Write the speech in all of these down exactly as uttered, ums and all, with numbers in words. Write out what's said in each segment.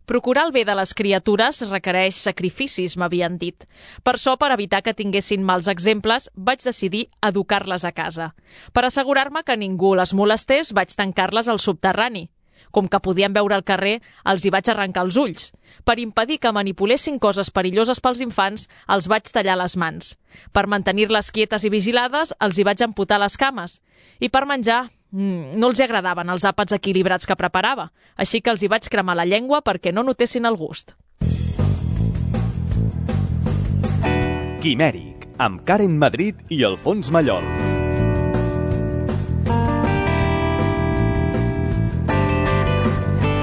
Procurar el bé de les criatures requereix sacrificis, m'havien dit. Per això, per evitar que tinguessin mals exemples, vaig decidir educar-les a casa. Per assegurar-me que ningú les molestés, vaig tancar-les al subterrani. Com que podien veure al carrer, els hi vaig arrencar els ulls. Per impedir que manipulessin coses perilloses pels infants, els vaig tallar les mans. Per mantenir-les quietes i vigilades, els hi vaig amputar les cames. I per menjar, no els agradaven els àpats equilibrats que preparava, així que els hi vaig cremar la llengua perquè no notessin el gust. Quimèric, amb Karen Madrid i Alfons Mallol.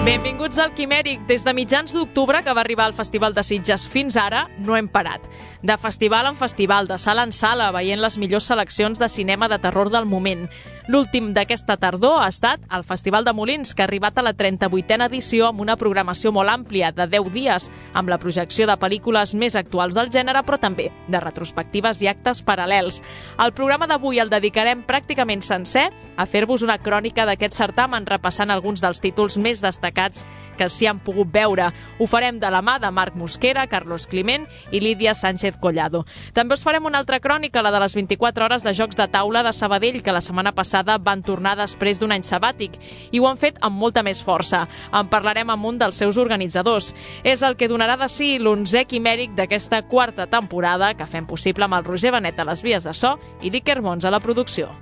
Benvinguts al Quimèric. Des de mitjans d'octubre, que va arribar al Festival de Sitges, fins ara no hem parat. De festival en festival, de sala en sala, veient les millors seleccions de cinema de terror del moment. L'últim d'aquesta tardor ha estat el Festival de Molins, que ha arribat a la trenta-vuitena edició amb una programació molt àmplia, de deu dies, amb la projecció de pel·lícules més actuals del gènere, però també de retrospectives i actes paral·lels. El programa d'avui el dedicarem pràcticament sencer a fer-vos una crònica d'aquest certamen, repassant alguns dels títols més destacats que s'hi han pogut veure. Ho farem de la mà de Marc Mosquera, Carlos Climent i Lídia Sánchez Collado. També us farem una altra crònica, la de les vint-i-quatre hores de jocs de taula de Sabadell, que la setmana passada van tornar després d'un any sabàtic, i ho han fet amb molta més força. En parlarem amb un dels seus organitzadors. És el que donarà de si l'onzè Quimèric d'aquesta quarta temporada, que fem possible amb el Roger Benet a les vies de so i l'Iker Mons a la producció.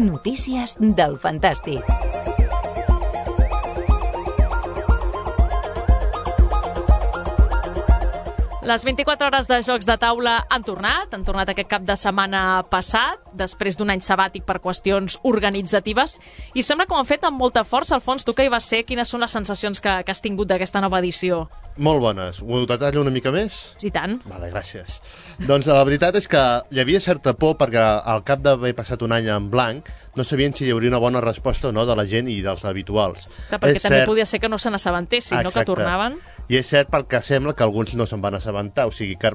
Notícies del Fantàstic. Les vint-i-quatre hores de jocs de taula han tornat, han tornat aquest cap de setmana passat, després d'un any sabàtic per qüestions organitzatives, i sembla que ho han fet amb molta força. Alfons, tu que hi vas ser, quines són les sensacions que, que has tingut d'aquesta nova edició? Molt bones. Ho detallo una mica més? I tant. Vale, gràcies. Doncs la veritat és que hi havia certa por perquè al cap d'haver passat un any en blanc no sabien si hi hauria una bona resposta o no de la gent i dels habituals. Clar, perquè és també cert... podia ser que no se n'assabentessin, no? Que tornaven. I és cert pel que sembla que alguns no se'n van assabentar, o sigui que...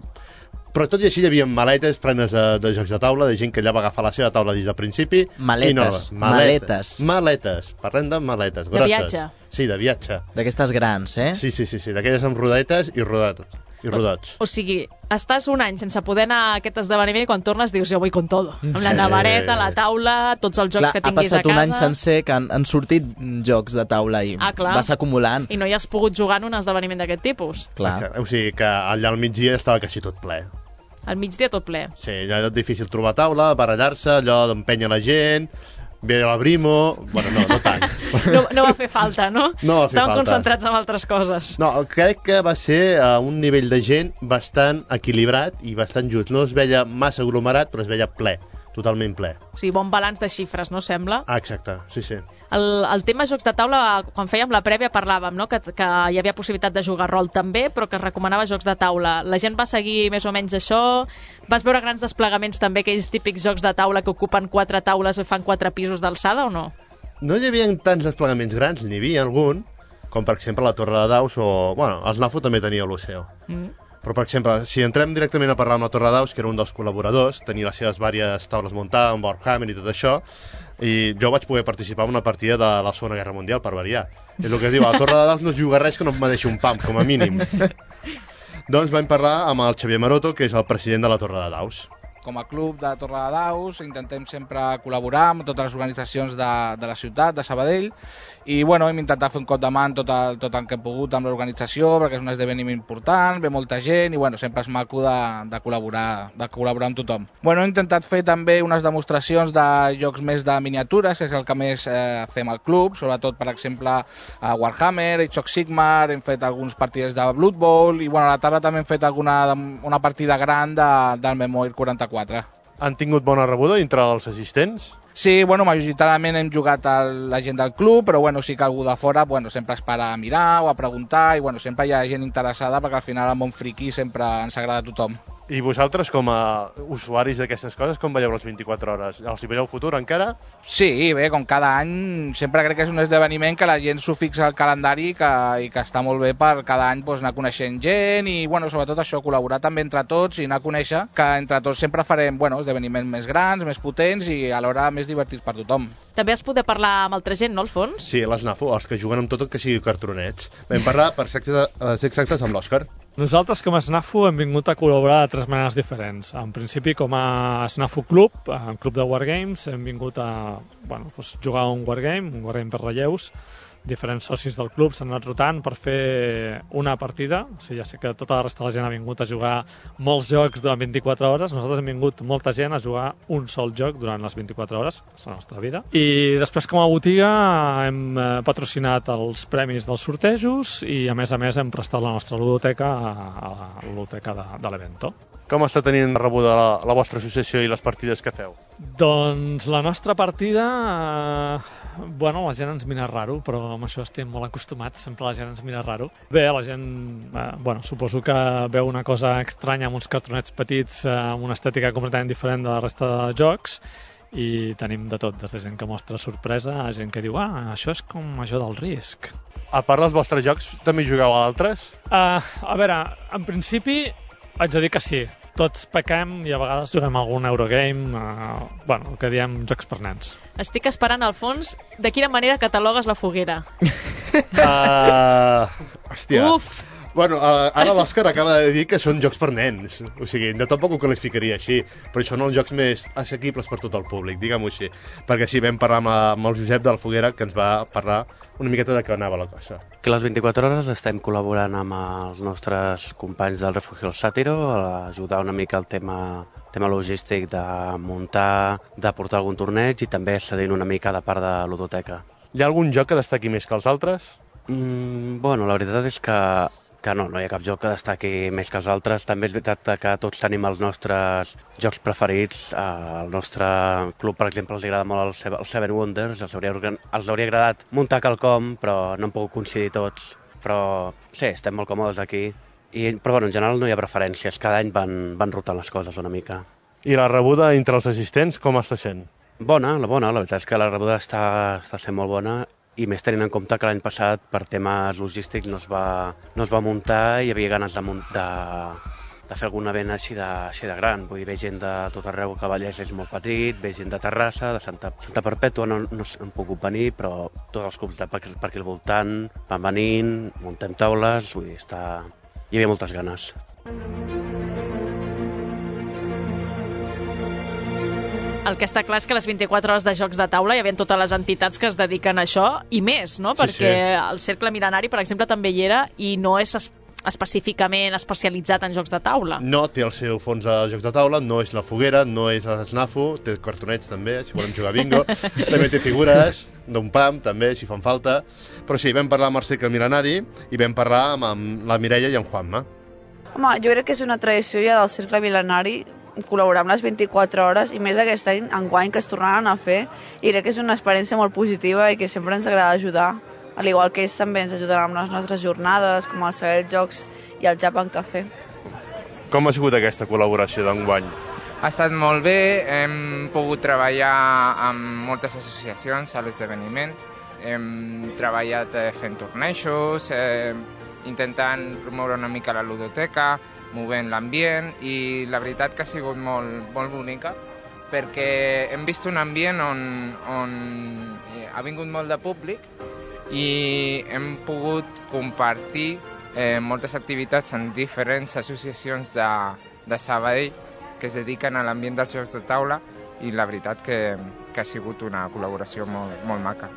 Però tot i així hi havia maletes plenes de, de jocs de taula, de gent que allà va agafar la seva taula des del principi. Maletes. I no, maletes. Maletes. Maletes. Parlem de maletes grosses. De viatge. Sí, de viatge. D'aquestes grans, eh? Sí, sí, sí, sí. D'aquelles amb rodetes i rodetes. I rodots. O sigui, estàs un any sense poder anar a aquest esdeveniment i quan tornes dius jo vull con todo. Amb la navareta, la taula, tots els jocs clar, que tinguis a casa. Ha passat un any sencer que han, han sortit jocs de taula i ah, vas acumulant. I no hi has pogut jugar en un esdeveniment d'aquest tipus. Clar. Exacte. O sigui que allà al migdia estava quasi tot ple. Al migdia tot ple. Sí, allà és difícil trobar taula, barallar-se, allò d'empènyer la gent... Ve la Brimo... Bueno, no, no tant. No, no va fer falta, no? No va fer Estaven falta. concentrats en altres coses. No, crec que va ser a un nivell de gent bastant equilibrat i bastant just. No es veia massa aglomerat, però es veia ple, totalment ple. O sigui, bon balanç de xifres, no sembla? Ah, exacte, sí, sí. El, el tema jocs de taula, quan fèiem la prèvia parlàvem, no? que, que hi havia possibilitat de jugar rol també, però que es recomanava jocs de taula. La gent va seguir més o menys això? Vas veure grans desplegaments també, aquells típics jocs de taula que ocupen quatre taules i fan quatre pisos d'alçada o no? No hi havia tants desplegaments grans, n'hi havia algun, com per exemple la Torre de Daus o... Bueno, el SNAFO també tenia l'Oceo. Mm. Però, per exemple, si entrem directament a parlar amb la Torre de Daus, que era un dels col·laboradors, tenia les seves diverses taules muntades, amb Warhammer i tot això, i jo vaig poder participar en una partida de la Segona Guerra Mundial, per variar. És el que es diu, a la Torre de Daus no es juga res que no em deixi un pam, com a mínim. Doncs vam parlar amb el Xavier Maroto, que és el president de la Torre de Daus. Com a club de Torre de Daus intentem sempre col·laborar amb totes les organitzacions de, de la ciutat, de Sabadell, i bueno, hem intentat fer un cop de mà tot el, tot el que hem pogut amb l'organització, perquè és un esdeveniment important, ve molta gent, i bueno, sempre és maco de, de, col·laborar, de col·laborar amb tothom. Bueno, hem intentat fer també unes demostracions de jocs més de miniatures, que és el que més eh, fem al club, sobretot, per exemple, a Warhammer, Age of Sigmar, hem fet alguns partits de Blood Bowl, i bueno, a la tarda també hem fet alguna, una partida gran de, del Memoir quaranta-quatre. Han tingut bona rebuda entre els assistents? Sí, bueno, majoritàriament hem jugat a la gent del club, però bueno, sí que algú de fora bueno, sempre es para a mirar o a preguntar, i bueno, sempre hi ha gent interessada, perquè al final el món friqui sempre ens agrada a tothom. I vosaltres, com a usuaris d'aquestes coses, com veieu les vint-i-quatre hores? Els hi veieu futur encara? Sí, bé, com cada any, sempre crec que és un esdeveniment que la gent s'ho fixa al calendari que, i que està molt bé per cada any doncs, anar coneixent gent i, bueno, sobretot això, col·laborar també entre tots i anar a conèixer que entre tots sempre farem, bueno, esdeveniments més grans, més potents i alhora més divertits per tothom. També has poder parlar amb altra gent, no, Alfons? Sí, les NAFO, els que juguen amb tot el que sigui cartronets. Vam parlar, per ser exactes, amb l'Òscar. Nosaltres, com a SNAFU, hem vingut a col·laborar de tres maneres diferents. En principi, com a SNAFU Club, un club de Wargames, hem vingut a bueno, doncs, jugar a un Wargame, un Wargame per relleus. Diferents socis del club s'han anat rotant per fer una partida. O sigui, ja sé que tota la resta de la gent ha vingut a jugar molts jocs durant vint-i-quatre hores. Nosaltres hem vingut molta gent a jugar un sol joc durant les vint-i-quatre hores, és la nostra vida. I després, com a botiga, hem patrocinat els premis dels sortejos i, a més a més, hem prestat la nostra ludoteca a la ludoteca de, de l'Evento. Com està tenint rebuda la, la vostra associació i les partides que feu? Doncs la nostra partida, eh, bueno, la gent ens mira raro, però amb això estem molt acostumats, sempre la gent ens mira raro. Bé, la gent, eh, bueno, suposo que veu una cosa estranya amb uns cartronets petits, eh, amb una estètica completament diferent de la resta de jocs, i tenim de tot, des de gent que mostra sorpresa a gent que diu, ah, això és com això del risc. A part dels vostres jocs, també jugueu a altres? Uh, a veure, en principi haig de dir que sí. Tots pequem i a vegades juguem algun Eurogame, uh, bueno, el que diem jocs per nens. Estic esperant, Alfons, de quina manera catalogues la foguera. Uh, hòstia. Uf! Bueno, uh, ara l'Òscar acaba de dir que són jocs per nens. O sigui, de tampoc ho qualificaria així, però això són els jocs més assequibles per tot el públic, diguem-ho així. Perquè sí, vam parlar amb, amb el Josep de la Foguera, que ens va parlar una miqueta de què anava la cosa. Que les vint-i-quatre hores estem col·laborant amb els nostres companys del Refugi del Sàtiro a ajudar una mica el tema, tema logístic de muntar, de portar algun torneig i també cedint una mica de part de ludoteca. Hi ha algun joc que destaqui més que els altres? Mm, bueno, la veritat és que que no, no hi ha cap joc que destaqui més que els altres. També és veritat que tots tenim els nostres jocs preferits. Al nostre club, per exemple, els agrada molt el Seven Wonders, els hauria, els hauria agradat muntar quelcom, però no hem pogut coincidir tots. Però sí, estem molt còmodes aquí. I, però bueno, en general no hi ha preferències, cada any van, van rotant les coses una mica. I la rebuda entre els assistents com està sent? Bona, la bona, la veritat és que la rebuda està, està sent molt bona. I més tenint en compte que l'any passat per temes logístics no es va, no es va muntar i hi havia ganes de, de, de fer algun event així de, així de gran. Vull dir, ve gent de tot arreu, que el Vallès és molt petit, ve gent de Terrassa, de Santa, Santa Perpètua, no, no han pogut venir, però tots els clubs de per, per aquí al voltant van venint, muntem taules, vull dir, està... hi havia moltes ganes. El que està clar és que les vint-i-quatre hores de jocs de taula hi havia totes les entitats que es dediquen a això i més, no? Perquè sí, sí. El Cercle Mil·lenari, per exemple, també hi era i no és es específicament especialitzat en jocs de taula. No, té el seu fons de jocs de taula, no és la Foguera, no és la SNAFU, té cartonets també, si volem jugar bingo, també té figures d'un P A M, també, si fan falta. Però sí, vam parlar amb el Cercle Mil·lenari i vam parlar amb, amb la Mireia i en Juanma. Home, jo crec que és una tradició ja del Cercle Mil·lenari col·laborar amb les vint-i-quatre hores i més aquest any, enguany, que es tornaran a fer, i crec que és una experiència molt positiva i que sempre ens agrada ajudar, al igual que ells també ens ajudaran amb les nostres jornades, com el Saber Jocs i el Japan Café. Com ha sigut aquesta col·laboració d'enguany? Ha estat molt bé, hem pogut treballar amb moltes associacions a l'esdeveniment, hem treballat fent tornejos, eh, intentant promoure una mica la ludoteca, movent l'ambient, i la veritat que ha sigut molt, molt bonica perquè hem vist un ambient on, on ha vingut molt de públic i hem pogut compartir eh, moltes activitats en diferents associacions de, de Sabadell que es dediquen a l'ambient dels jocs de taula, i la veritat que, que ha sigut una col·laboració molt, molt maca.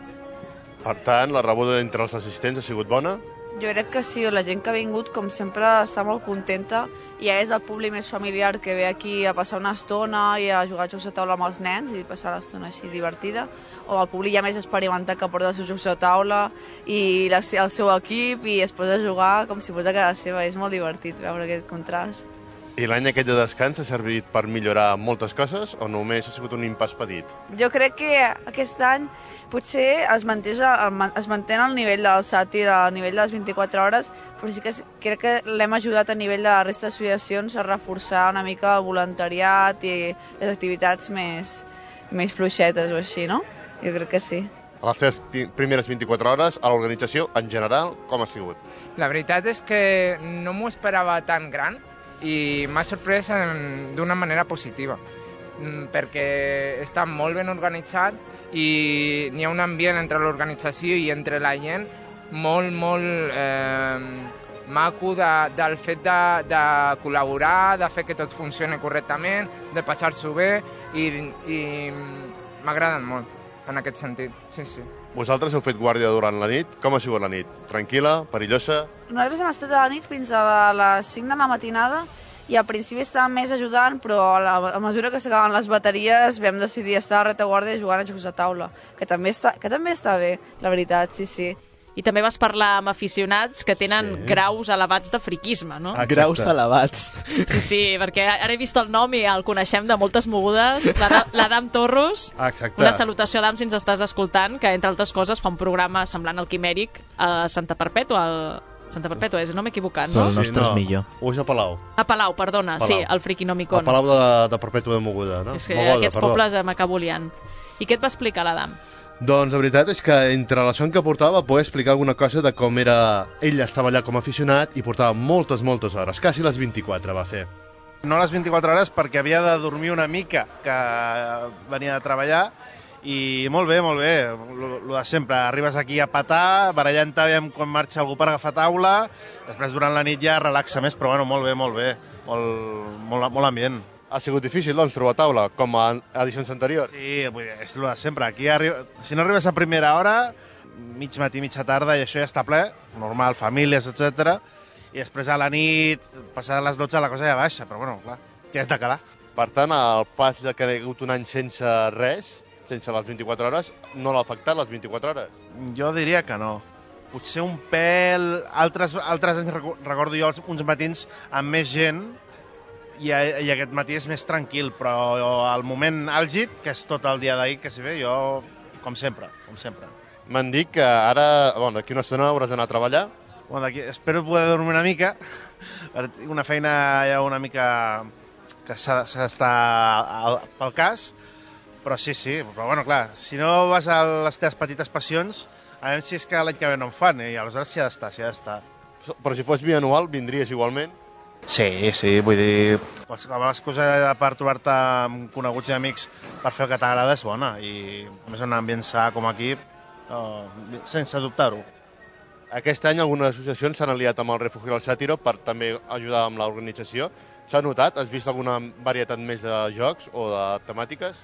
Per tant, la rebuda entre els assistents ha sigut bona? Jo crec que sí, la gent que ha vingut, com sempre, està molt contenta, i ja és el públic més familiar que ve aquí a passar una estona i a jugar a jocs de taula amb els nens i passar l'estona així divertida, o el públic ja més experimentat que porta els seus jocs de taula i la, el seu equip i es posa a jugar com si fos a casa seva. És molt divertit veure aquest contrast. I l'any aquest de descans ha servit per millorar moltes coses o només ha sigut un impàs petit? Jo crec que aquest any potser es, manté, es manté el nivell del sàtir, al nivell de les vint-i-quatre hores, però sí que crec que l'hem ajudat a nivell de la resta d'associacions a reforçar una mica el voluntariat i les activitats més, més fluixetes o així, no? Jo crec que sí. A les teves primeres vint-i-quatre hores, a l'organització, en general, com ha sigut? La veritat és que no m'ho esperava tan gran i m'ha sorprès d'una manera positiva, perquè està molt ben organitzat i n'hi ha un ambient entre l'organització i entre la gent molt, molt eh, maco de, del fet de, de col·laborar, de fer que tot funcioni correctament, de passar-s'ho bé i, i m'agraden molt en aquest sentit, sí, sí. Vosaltres heu fet guàrdia durant la nit. Com ha sigut la nit? Tranquil·la? Perillosa? Nosaltres hem estat a la nit fins a les cinc de la matinada i al principi estàvem més ajudant, però a, la, a mesura que s'acaben les bateries vam decidir estar a retaguardia jugant a jocs de taula, que també està, que també està bé, la veritat, sí, sí. I també vas parlar amb aficionats que tenen sí. graus elevats de friquisme, no? Exacte. Graus elevats. Sí, sí, perquè ara he vist el nom i el coneixem de moltes mogudes, l'Adam Torros. Exacte. Una salutació, Adam, si ens estàs escoltant, que entre altres coses fa un programa semblant al Quimèric a Santa Perpètua, al... Santa Perpètua és, no m'he equivocat, no? El nostre sí, és millor. O és a Palau. A Palau, perdona, Palau. sí, al Friquinomicon. A Palau de, de Perpètua de Moguda, no? És que Mogoda, aquests perdó. pobles m'acabo liant. I què et va explicar l'Adam? Doncs la veritat és que entre la son que portava va poder explicar alguna cosa de com era... Ell estava allà com a aficionat i portava moltes, moltes hores, quasi les vint-i-quatre va fer. No les vint-i-quatre hores perquè havia de dormir una mica, que venia de treballar, i molt bé, molt bé, el de sempre. Arribes aquí a petar, barallant-te quan marxa algú per agafar taula, després durant la nit ja relaxa més, però bueno, molt bé, molt bé, molt, molt, molt ambient. Ha sigut difícil, doncs, trobar taula, com a edicions anteriors? Sí, vull dir, és el de sempre. Aquí, arriba... si no arribes a primera hora, mig matí, mitja tarda, i això ja està ple, normal, famílies, etcètera. I després a la nit, passades les dotze, la cosa ja baixa, però bueno, clar, ja és de quedar. Per tant, el pas de que hi ha hagut un any sense res, sense les vint-i-quatre hores, no l'ha afectat les vint-i-quatre hores? Jo diria que no. Potser un pèl... Altres, altres anys recordo jo uns matins amb més gent, i, i aquest matí és més tranquil, però al moment àlgid, que és tot el dia d'ahir que s'hi ve, jo, com sempre, com sempre. M'han dit que ara, bueno, d'aquí una estona hauràs d'anar a treballar. Bueno, espero poder dormir una mica, una feina ja una mica que s'ha d'estar pel cas, però sí, sí, però bueno, clar, si no vas a les teves petites passions, a veure si és que l'any que ve no en fan, i aleshores s'hi ha d'estar, s'hi ha d'estar. Però si fos bianual, vindries igualment? Sí, sí, vull dir, qualsevol excusa per trobar-te amb coneguts i amics per fer el que t'agrada és bona, i a més un ambient sa com aquí, oh, sense dubtar-ho. Aquest any algunes associacions s'han aliat amb el Refugi del Sàtiro per també ajudar amb l'organització. S'ha notat? Has vist alguna varietat més de jocs o de temàtiques?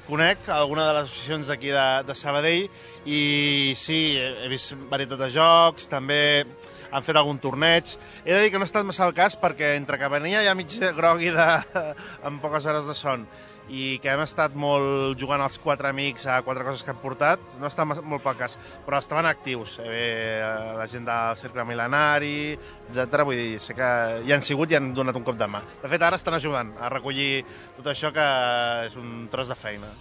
Conec alguna de les associacions d'aquí de, de Sabadell i sí, he vist varietat de jocs, també han fet algun torneig. He de dir que no ha estat massa el cas perquè entre que venia ja mig grogui de, amb poques hores de son i que hem estat molt jugant els quatre amics a quatre coses que hem portat, no ha estat molt pel cas, però estaven actius. Eh, la gent del Cercle Mil·lenari, etcètera. Vull dir, sé que hi han sigut i han donat un cop de mà. De fet, ara estan ajudant a recollir tot això, que és un tros de feina.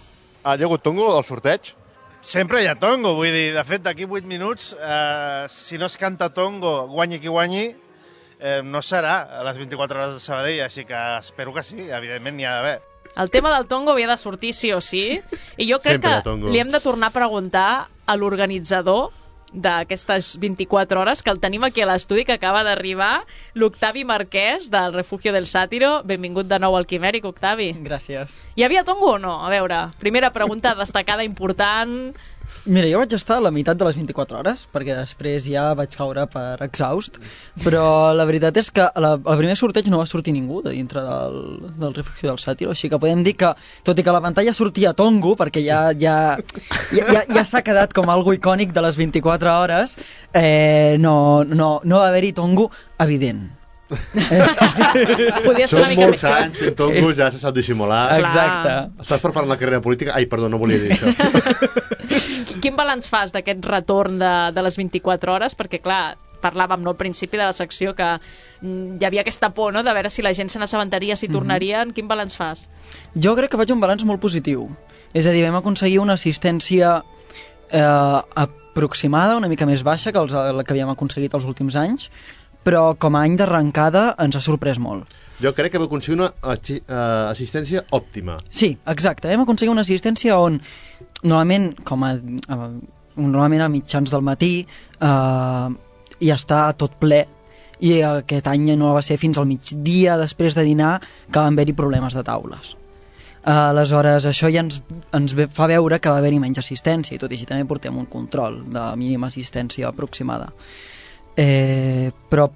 Ha hagut tongo del sorteig? Sempre hi ha tongo, vull dir, de fet, d'aquí vuit minuts, eh, si no es canta tongo, guanyi qui guanyi, eh, no serà a les vint-i-quatre hores de Sabadell, així que espero que sí, evidentment n'hi ha d'haver. El tema del tongo havia de sortir sí o sí, i jo crec Sempre que li hem de tornar a preguntar a l'organitzador d'aquestes vint-i-quatre hores, que el tenim aquí a l'estudi, que acaba d'arribar, l'Octavi Marquès, del Refugio del Sàtiro. Benvingut de nou al Quimèric, Octavi. Gràcies. Hi havia tongo o no? A veure, primera pregunta destacada, important... Mira, jo vaig estar a la meitat de les vint-i-quatre hores, perquè després ja vaig caure per exhaust, però la veritat és que la, el primer sorteig no va sortir ningú de dintre del, del Refugio del Sàtiro, així que podem dir que, tot i que a la pantalla sortia tongo, perquè ja, ja, ja, ja, ja s'ha quedat com algo icònic de les vint-i-quatre hores, eh, no, no, no va haver-hi tongo evident. Són molts anys fent tongos, ja se sap dissimular. Exacte. Estàs preparant la carrera política? Ai, perdó, no volia dir això. Quin balanç fas d'aquest retorn de, de les vint-i-quatre hores? Perquè, clar, parlàvem no, al principi de la secció que hi havia aquesta por, no?, de veure si la gent se n'assabentaria, si tornarien. Quin balanç fas? Jo crec que faig un balanç molt positiu. És a dir, vam aconseguir una assistència eh, aproximada, una mica més baixa que els, la que havíem aconseguit els últims anys, però com a any d'arrencada ens ha sorprès molt. Jo crec que vam aconseguir una uh, assistència òptima. Sí, exacte. Vam aconseguir una assistència on, normalment, com a, a, normalment a mitjans del matí, eh, ja està tot ple, i aquest any no va ser fins al migdia, després de dinar, que van haver-hi problemes de taules. Uh, aleshores, això ja ens, ens fa veure que va haver-hi menys assistència, i tot i així també portem un control de mínima assistència aproximada. Eh, però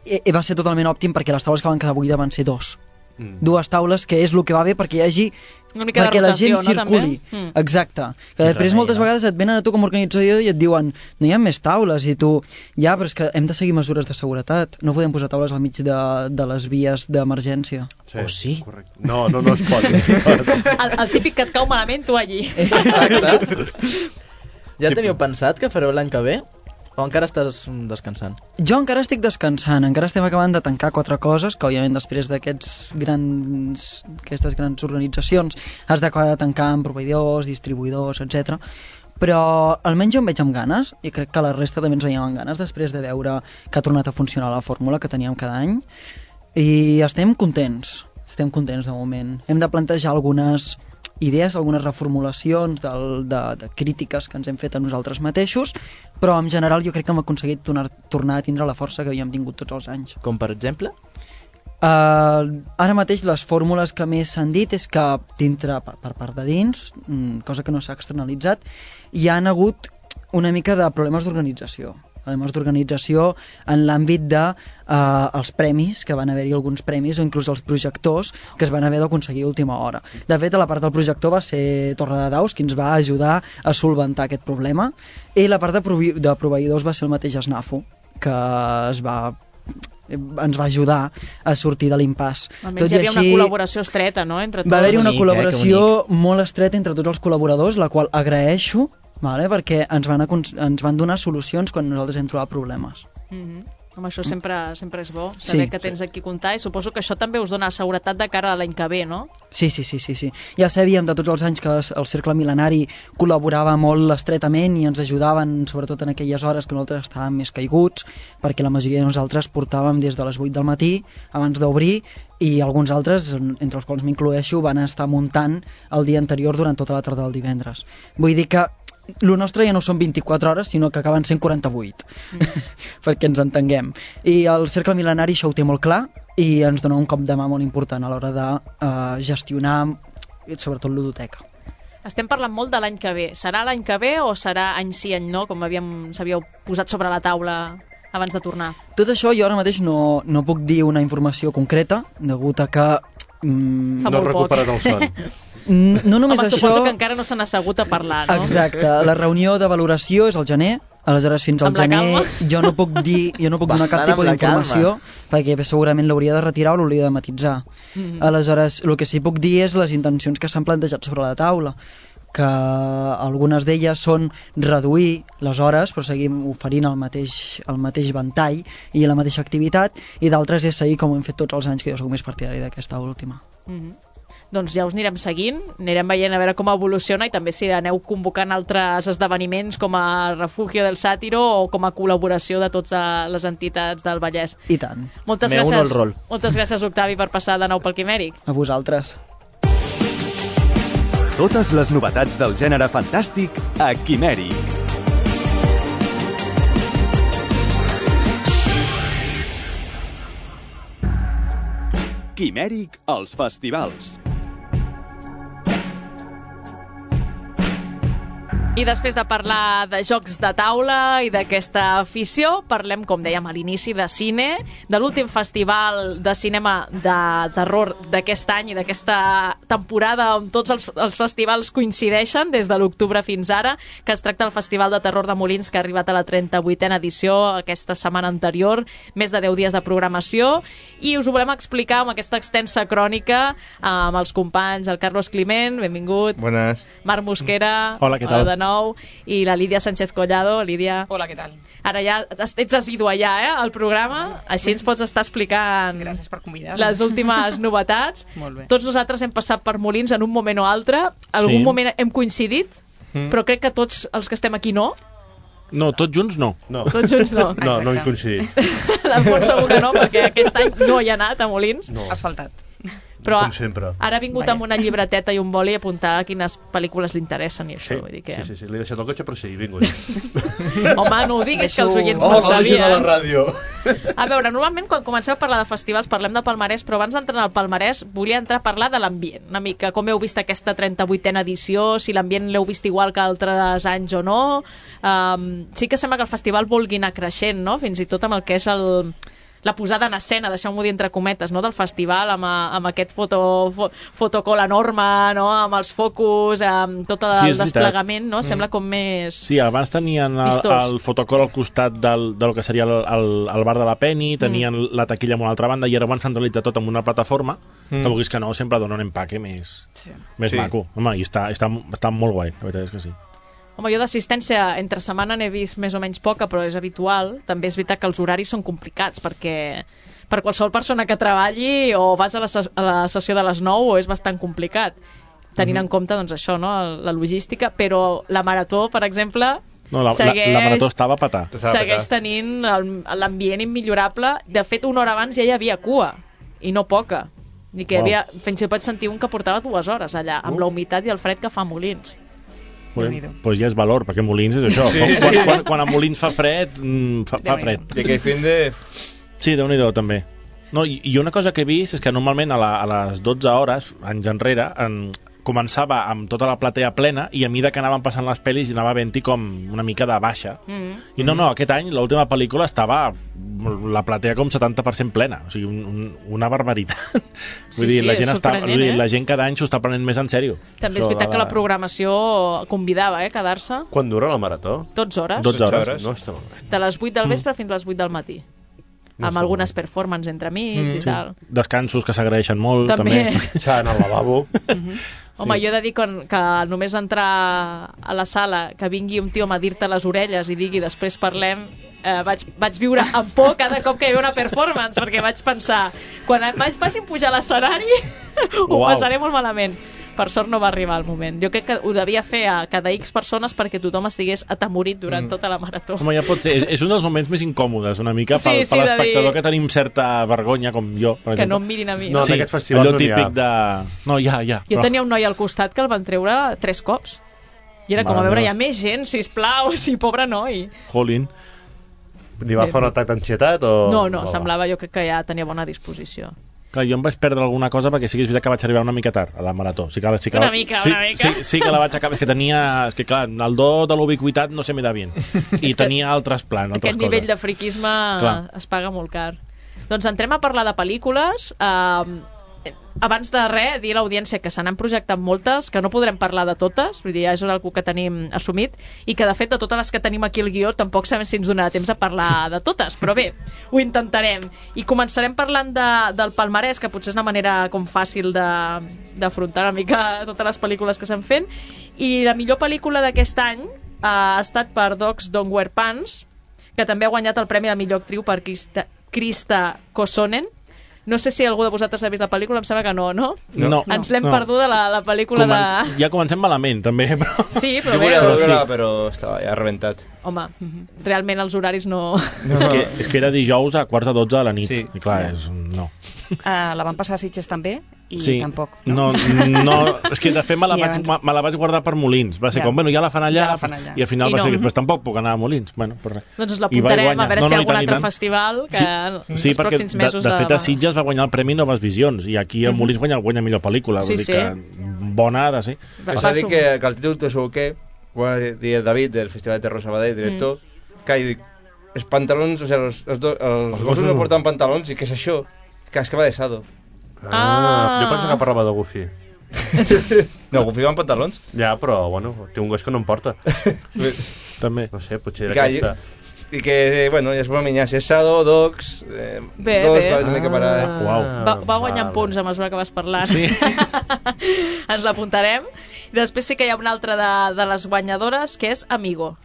eh, va ser totalment òptim perquè les taules que van quedar buides van ser dos. Mm. Dues taules, que és el que va bé perquè hi hagi... Una mica perquè de rotació, la gent circuli. No, mm. Exacte. Que després moltes vegades et venen a tu com a organitzador i et diuen no hi ha més taules, i tu ja, però és que hem de seguir mesures de seguretat, no podem posar taules al mig de, de les vies d'emergència. Sí, oh, sí? Correcte. No, no, no es pot. No es pot. el, el típic que et cau malament, tu allí. Exacte. Ja teniu pensat que fareu l'any que ve? O encara estàs descansant? Jo encara estic descansant, encara estem acabant de tancar quatre coses, que òbviament després d'aquests grans, aquestes grans organitzacions has d'acabar de tancar amb proveïdors, distribuïdors, etcètera. Però almenys jo em veig amb ganes, i crec que la resta també ens veiem amb ganes després de veure que ha tornat a funcionar la fórmula que teníem cada any, i estem contents, estem contents de moment. Hem de plantejar algunes idees, algunes reformulacions del, de, de crítiques que ens hem fet a nosaltres mateixos, però en general jo crec que hem aconseguit tornar, tornar a tindre la força que havíem tingut tots els anys. Com per exemple? Uh, ara mateix les fórmules que més s'han dit és que dintre, per, per part de dins, cosa que no s'ha externalitzat, hi han hagut una mica de problemes d'organització. Problemes d'organització en l'àmbit de uh, els premis, que van haver-hi alguns premis, o inclús els projectors, que es van haver d'aconseguir a última hora. De fet, a la part del projector va ser Torredaus qui ens va ajudar a solventar aquest problema, i la part de, provi de proveïdors va ser el mateix SNAFU, que es va ens va ajudar a sortir de l'impàs. Almenys hi havia així, una col·laboració estreta, no?, entre tots. Va haver-hi una col·laboració molt estreta entre tots els col·laboradors, la qual agraeixo, vale? Perquè ens van, ens van donar solucions quan nosaltres hem trobat problemes. Mm-hmm. Home, això sempre, sempre és bo, saber sí, que tens sí. aquí comptar, i suposo que això també us dona seguretat de cara a l'any que ve, no? Sí, sí, sí, sí, sí. Ja sabíem de tots els anys que el Cercle Mil·lenari col·laborava molt estretament i ens ajudaven, sobretot en aquelles hores que nosaltres estàvem més caiguts, perquè la majoria de nosaltres portàvem des de les vuit del matí, abans d'obrir, i alguns altres, entre els quals m'incloeixo, van estar muntant el dia anterior durant tota la tarda del divendres. Vull dir que el nostre ja no són vint-i-quatre hores, sinó que acaben sent quaranta-vuit, mm. perquè ens entenguem. I el Cercle Mil·lenari això ho té molt clar i ens dona un cop de mà molt important a l'hora de uh, gestionar, sobretot, l'udoteca. Estem parlant molt de l'any que ve. Serà l'any que ve o serà any sí, any no, com havíem s'havíeu posat sobre la taula abans de tornar? Tot això jo ara mateix no, no puc dir una informació concreta, degut a que... Mm, no has recuperat el son. No només Home, això... suposo que encara no s'han assegut a parlar, no? Exacte, la reunió de valoració és al gener, aleshores fins al gener jo no puc dir, jo no puc donar cap tipus d'informació, perquè segurament l'hauria de retirar o l'hauria de matitzar. Mm-hmm. Aleshores, el que sí puc dir és les intencions que s'han plantejat sobre la taula, que algunes d'elles són reduir les hores, però seguim oferint el mateix, el mateix ventall i la mateixa activitat, i d'altres és seguir com ho hem fet tots els anys, que jo soc més partidari d'aquesta última. Mm-hmm. Doncs ja us anirem seguint, anirem veient a veure com evoluciona, i també si aneu convocant altres esdeveniments com a Refugio del Sàtiro o com a col·laboració de totes les entitats del Vallès. I tant. Moltes Me gràcies, rol. moltes gràcies, Octavi, per passar de nou pel Quimèric. A vosaltres. Totes les novetats del gènere fantàstic a Quimèric. Quimèric als festivals. I després de parlar de jocs de taula i d'aquesta afició, parlem, com dèiem a l'inici, de cine, de l'últim festival de cinema de terror d'aquest any i d'aquesta temporada on tots els, els festivals coincideixen des de l'octubre fins ara, que es tracta del Festival de Terror de Molins, que ha arribat a la trenta-vuitena edició aquesta setmana anterior, més de deu dies de programació, i us ho volem explicar amb aquesta extensa crònica amb els companys, el Carlos Climent, benvingut. Buenas. Marc Mosquera. Hola, què tal? De nou, i la Lídia Sánchez Collado. Lídia... Hola, què tal? Ara ja ets assidua ja, eh, al programa, així ens pots estar explicant Gràcies per convidar-me. les últimes novetats. Molt bé. Tots nosaltres hem passat per Molins en un moment o altre, algun Sí. moment hem coincidit, Mm. però crec que tots els que estem aquí no. No, tots junts no. No. Tots junts no. No, no hem coincidit. L'Alfons segur que no, perquè aquest any no hi ha anat a Molins. No. Asfaltat. Però Com sempre. ara ha vingut Vaja. amb una llibreteta i un boli a apuntar quines pel·lícules li interessen i això. Sí, Vull dir que... sí, sí, sí. L'he deixat al cotxe, però sí, he vingut. Home, no ho diguis, que els oients Oh, no ho la màgia de la sabien. ràdio. A veure, normalment quan comencem a parlar de festivals parlem de palmarès, però abans d'entrar al palmarès volia entrar a parlar de l'ambient, una mica com heu vist aquesta trenta-vuitena edició, si l'ambient l'heu vist igual que altres anys o no. Um, sí que sembla que el festival vulgui anar creixent, no? Fins i tot amb el que és el... la posada en escena, deixeu-m'ho dir entre cometes, no? Del festival, amb, a, amb aquest foto, fo, fotocol enorme, no? Amb els focus, amb tot el Sí, és desplegament, no? veritat. Sembla com més... Sí, abans tenien el, Vistós. el fotocol al costat del, del que seria el, el, el bar de la Penny, tenien mm. la taquilla en una altra banda i ara ho han centralitzat tot en una plataforma mm. que vulguis que no, sempre dona un empaque més, Sí. més Sí. maco. Home, i està, està, està molt guai, la veritat és que sí. Home, jo d'assistència entre setmana n'he vist més o menys poca, però és habitual. També és veritat que els horaris són complicats, perquè per qualsevol persona que treballi o vas a la, ses a la sessió de les nou o és bastant complicat, tenint Mhm. en compte doncs, això, no? la logística, però la marató, per exemple, No, la, segueix, la, la marató estava a petar. segueix tenint el- l'ambient immillorable. De fet, una hora abans ja hi havia cua, i no poca. I que hi Wow. havia, fins i tot sentir un que portava dues hores allà, amb Uh. la humitat i el fred que fa a Molins. Doncs pues ja és valor, perquè Molins és això. Sí, quan, sí. quan, quan, quan a Molins fa fred, mm, fa, fa fred. I aquell fin de... Sí, Déu-n'hi-do, també. No, i, I una cosa que he vist és que normalment a, la, a les dotze hores, anys enrere, en, començava amb tota la platea plena i a mesura que anaven passant les pel·lis anava havent-hi com una mica de baixa. Mm. I no, no, aquest any l'última pel·lícula estava la platea com setanta per cent plena, o sigui, un, un, una barbaritat. Sí, Vull dir, sí, la és gent, està, sorprenent, vull dir, eh? la gent cada any s'ho està prenent més en sèrio. També és Això veritat de que la programació convidava, eh, quedar-se Quan dura la marató? dotze hores. dotze hores. No està malament. De les vuit del vespre fins a les vuit del matí. No amb està algunes performances entre mig Mm, i sí. tal. Descansos que s'agraeixen molt, També. també. S'ha d'anar al lavabo. Home, jo he de dir que, que només entrar a la sala, que vingui un tio a dir-te les orelles i digui després parlem, eh, vaig, vaig viure amb por cada cop que hi havia una performance, perquè vaig pensar, quan em vaig passi pujar a l'escenari, ho Uau. passaré molt malament. Per sort no va arribar el moment. Jo crec que ho devia fer a cada X persones perquè tothom estigués atemorit durant Mm. tota la marató. Home, ja pot ser. És, és un dels moments més incòmodes, una mica, Sí, pel, sí, per de l'espectador dir- que tenim certa vergonya, com jo, per Que exemple. no em mirin a mi. No, en sí, aquest festival allò no n'hi ha. típic de... No, ja, ja. Jo però- tenia un noi al costat que el van treure tres cops. I era com, a Mare veure, hi meva. ha més gent, sisplau, sí, pobre noi. Jolín. Li va fer un atac d'ansietat o...? No, no, semblava, jo crec que ja tenia bona disposició. Clar, jo em vaig perdre alguna cosa perquè sí que és veritat que vaig arribar una mica tard a la marató. Sí que, sí que Una la, mica, sí, una mica. Sí, sí que la vaig acabar. És que tenia... És que clar, el do de l'ubiquitat no se me da bien. I tenia altres plans, altres Aquest nivell coses. de friquisme Clar. es paga molt car. Doncs entrem a parlar de pel·lícules. Uh, abans de res, dir a l'audiència que se n'han projectat moltes, que no podrem parlar de totes, vull dir, ja és una cosa que tenim assumit, i que de fet de totes les que tenim aquí al guió tampoc sabem si ens donarà temps a parlar de totes, però bé, ho intentarem. I començarem parlant de, del palmarès, que potser és una manera com fàcil de- d'afrontar una mica totes les pel·lícules que s'han fent, i la millor pel·lícula d'aquest any uh, ha estat per Dogs Don't Wear Pants, que també ha guanyat el premi de millor actriu per Krista, Krista Kosonen. No sé si algú de vosaltres ha vist la pel·lícula, em sembla que no, no? No. Ens l'hem No. perduda, la, la pel·lícula Començ... de... Ja comencem malament, també. Però... Sí, però Jo bé, volia Però veure, sí. però estava ja rebentat. home, realment els horaris no... No. És, que, és que era dijous a quarts de dotze de la nit. Sí. I clar, és... no. Uh, la van passar a Sitges també i Sí. tampoc. No, no, és que de fet me la, I vaig, abans- me la vaig guardar per Molins. Va ser Ja. com, bueno, ja la fan allà, Ja la fan allà. i al final I va no. ser, però tampoc puc anar a Molins. Bueno, per res. Doncs ens I va l'apuntarem a guanyar. veure No, si hi no, ha i algun tant, i altre tant. festival que Sí, els sí, perquè pròxims de, mesos... de fet a de- Sitges va guanyar el Premi Noves Visions i aquí a Mhm. Molins guanya, guanya millor pel·lícula. Sí, vull dir sí. que bona ha de ser. Va- És va a dir sumar. que, que el títol t'ho segur que, ho va dir el David del Festival de Terror Sabadell, director, que jo dic, els pantalons, o sigui, els, els, do, els, els gossos no porten pantalons, i què és això? Que és que va de Sado. Ah, jo penso que parlava de Goofy. No, Goofy va amb pantalons. Ja, però, bueno, té un gos que no em porta. També. No sé, potser era Que aquesta. I que, bueno, ja es pot minyar. Si és Sado, Docs... Eh, bé, dos, bé. Va, una mica per a... Uau. Va, va guanyant punts a mesura que vas parlant. Sí. Ens l'apuntarem. I després sí que hi ha una altra de, de les guanyadores, que és Amigo.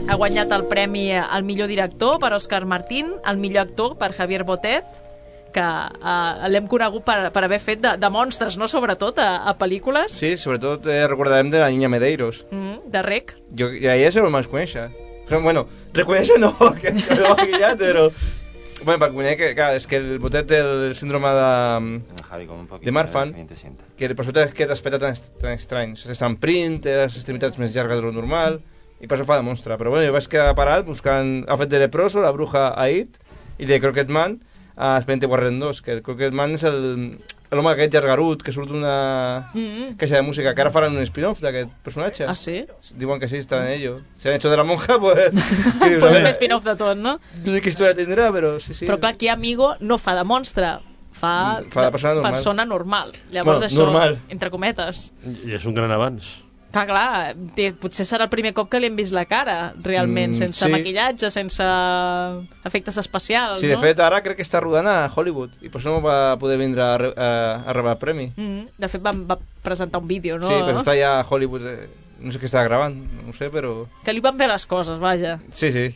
Ha guanyat el premi al millor director per Òscar Martín, el millor actor per Javier Botet, que uh, l'hem conegut per, per haver fet de, de monstres, no? Sobretot a, a pel·lícules. Sí, sobretot eh, recordarem de la Niña Medeiros. Mm, de Rec. Jo, I a ella se el vaig conèixer. Però, bueno, reconèixer no, que no l'ho ha guiat, però... Bueno, per conèixer que, clar, és que el Botet té el síndrome de... de Marfan, que per sota aquest aspecte tan, tan estrany. Està en print, té les extremitats més llargues de lo normal, i per això fa de monstre. Però bueno, jo vaig quedar parat buscant... Ha fet de Leproso, La Bruja Aid, i de Croquet Man, a Expediente Warren dos, que el Croquet Man és l'home aquest llargarut que surt d'una mm-hmm. caixa de música, que ara faran un spin-off d'aquest personatge. Ah, sí? Diuen que sí, està en ello. Si han hecho de la monja, pues... Pues un spin-off de tot, no? No sé qué historia tindrà, però sí, sí. Però clar, aquí Amigo no fa de monstre, fa, fa de persona normal. persona normal. Llavors bueno, això, normal. entre cometes. I és un gran avanç. Clar, clar, té, potser serà el primer cop que li hem vist la cara, realment, Mm, sense sí. maquillatge, sense efectes especials, Sí, de no? fet, ara crec que està rodant a Hollywood, i per això no va poder vindre a, re- a, a rebre el premi. Mm, de fet, va, va presentar un vídeo, no? Sí, però està ja a Hollywood, eh, no sé què està gravant, no ho sé, però... Que li van bé les coses, vaja. Sí, sí.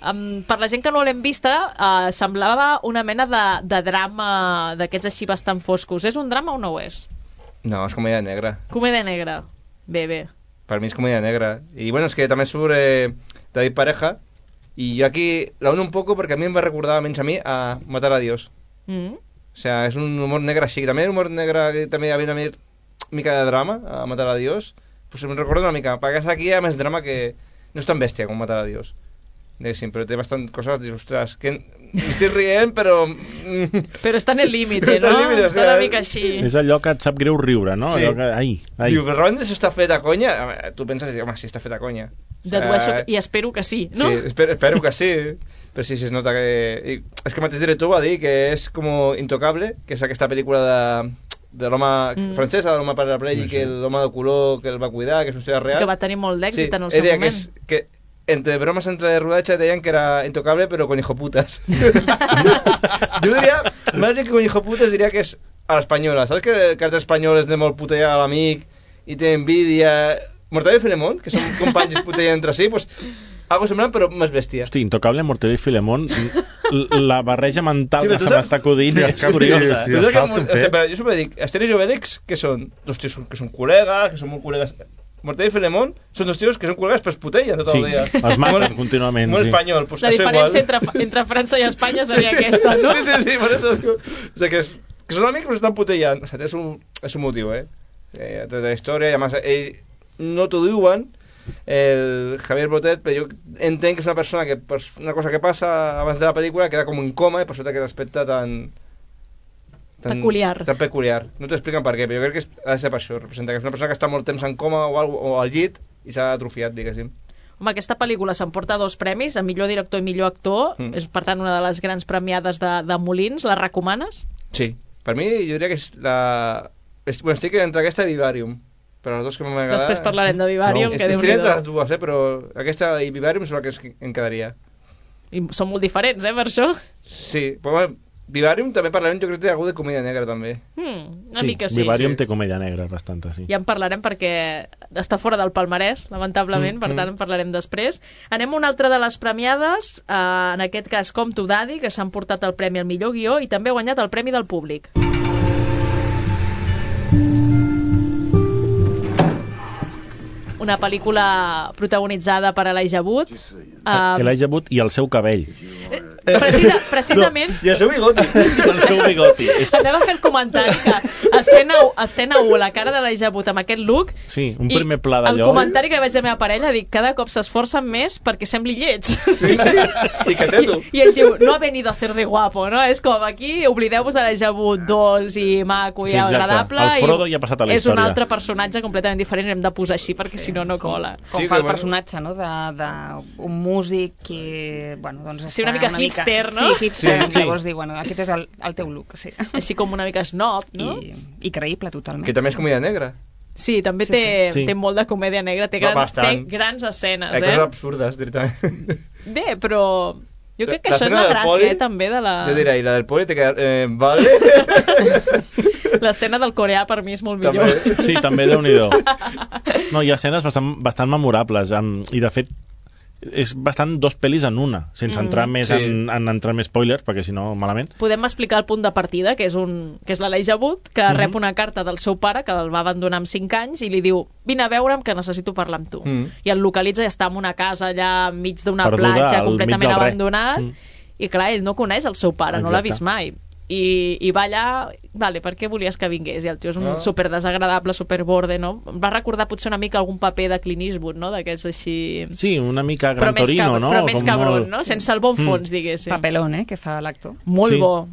Um, per la gent que no l'hem vista, uh, semblava una mena de, de drama d'aquests així bastant foscos. És un drama o no ho és? No, és comèdia negra. Comèdia negra. Bé, bé. Per mi és comèdia negra. I bueno, és que també surt eh, David Pareja, i jo aquí la uno un poco perquè a mi em va recordar, almenys a mi, a Matar a Dios. Mm. O sea, és un humor negre així. També humor negre que també hi havia una mica de drama a Matar a Dios. Pues em recorda una mica. Perquè aquí hi ha més drama que... No és tan bèstia com Matar a Dios. Diguéssim, però té bastant coses, dius, ostres, que m'estic rient, però... Però està en el límite, Està no? al límite, Està una mica així. És allò que et sap greu riure, no? Sí. Allò que... Ai, ai. Diu, però realment això està fet a conya? Tu penses, home, sí, està fet a conya. Dedueixo i espero que sí, no? Sí, espero, espero que sí. Però sí, sí, es nota que... I és que el mateix director va dir que és com Intocable, que és aquesta pel·lícula de, de l'home mm. francesa, de l'home paraplégic, que l'home de color que el va cuidar, que és una història real. Sí, que va tenir molt d'èxit sí, en el seu moment. moment. Que, és, que entre bromes entre rodatge deien que era Intocable, però con hijoputas. Jo diria, més que con hijoputas, diria que és a l'espanyola. Saps que el carter espanyol és de molt putejar a l'amic i té envidia... Mortadelo i Filemón, que són companys putejar entre si, pues, algo semblant, però més bèstia. Hosti, Intocable, Mortadelo i Filemón, la barreja mental Sí, que se m'està acudint sí, és curiosa. sí, sí, sí, que, o sigui, jo sempre dic, Asterix i Obélix, que són dos tios que són col·legues, que són molt col·legues... Mortadelo i Filemón són dos tios que són col·legues però es putellen tot Sí, el dia. els maten molt, contínuament, molt sí. espanyol, pues, La això diferència igual. entre, entre França i Espanya seria aquesta, no? Sí, sí, sí, per això... O sigui, que, és, que són amics però estan putellant. O sigui, és un, és un motiu, eh? eh tota la història, i a més, ell no t'ho diuen, el Javier Botet, però jo entenc que és una persona que per una cosa que passa abans de la pel·lícula queda com en coma i per sota aquest aspecte tan... tan Peculiar. Tan peculiar. No t'expliquen per què, però jo crec que és, ha de ser per això. Representa que és una persona que està molt temps en coma o, algo, o al llit i s'ha atrofiat, diguéssim. Home, aquesta pel·lícula s'emporta dos premis, a millor director i millor actor, mm. és per tant una de les grans premiades de, de Molins. La recomanes? Sí. Per mi, jo diria que és la... És, bueno, estic entre aquesta i Vivarium. Però les dues que m'han agradat... Després parlarem de Vivarium, no. que Estic entre Déu-n'hi-do. les dues, eh? Però aquesta i Vivarium són les que em quedaria. I són molt diferents, eh, per això? Sí, però bueno, Vivarium també parlarem, jo crec que té algú de comèdia negra també. Mm, una sí, mica sí. Vivarium sí. té comèdia negra bastanta, sí. Ja en parlarem perquè està fora del palmarès, lamentablement, Mm, per mm. tant en parlarem després. Anem a una altra de les premiades, eh, en aquest cas Com to Daddy, que s'han portat el premi al millor guió i també ha guanyat el premi del públic. Una pel·lícula protagonitzada per Elijah Wood. Uh, Elijah Wood i el seu cabell. Precisa, precisament... No, I el seu bigoti. el seu bigoti. És... Anava a fer el comentari que escena, escena u, la cara de l'Elijah Wood amb aquest look... Sí, un primer pla d'allò. El comentari que vaig a la meva parella, dic, cada cop s'esforcen més perquè sembli lleig. Sí, i que té tu. I ell diu, no ha venido a hacer de guapo, no? És com aquí, oblideu-vos de l'Elijah Wood dolç i maco i Sí, exacte. agradable. El Frodo ja ha passat a la és un història. altre personatge completament diferent, hem de posar així perquè sí. si no, no cola. Com Sí, fa que el bueno. personatge, no?, d'un músic que, bueno, doncs Sí, una està mica hipster, no? Sí, hipster, Sí, sí. llavors diu, bueno, aquest és el, el teu look, sí. Així com una mica snob, no? I, i creïble, totalment. Que també és comèdia negra. Sí, també Sí, té, sí. té molt de comèdia negra, té, gran, Bastant. té grans escenes, Hay eh? coses absurdes, directament. Bé, però jo crec que La això és escena la del gràcia, poli, eh, també, de la... Jo diré, i la del poli te queda... Eh, vale? L'escena del coreà per mi és molt millor. Sí, també, Déu-n'hi-do. No, hi ha escenes bastant, bastant memorables, amb, i de fet és bastant dos pel·lis en una, sense Mm. entrar més Sí. en, en entrar més spoilers, perquè si no, malament. Podem explicar el punt de partida, que és, un, que és l'Elijah Wood, que Mhm. rep una carta del seu pare, que el va abandonar amb cinc anys, i li diu, vine a veure'm, que necessito parlar amb tu. Mm. I el localitza i està en una casa allà enmig d'una Perduda, platja al mig completament del res. abandonat, Mm. i clar, ell no coneix el seu pare, no l'ha Exacte. vist mai. I, i va allà, vale, per què volies que vingués? I el tio és un Ah. super desagradable, super borde, no? Em va recordar potser una mica algun paper de Clint Eastwood, no? D'aquests així... Sí, una mica Però Gran més Torino, cabron, no? però més Com cabron, molt- no? Sense el bon Mm. fons, diguéssim. Papelón, eh, que fa l'actor. Molt Sí. bo.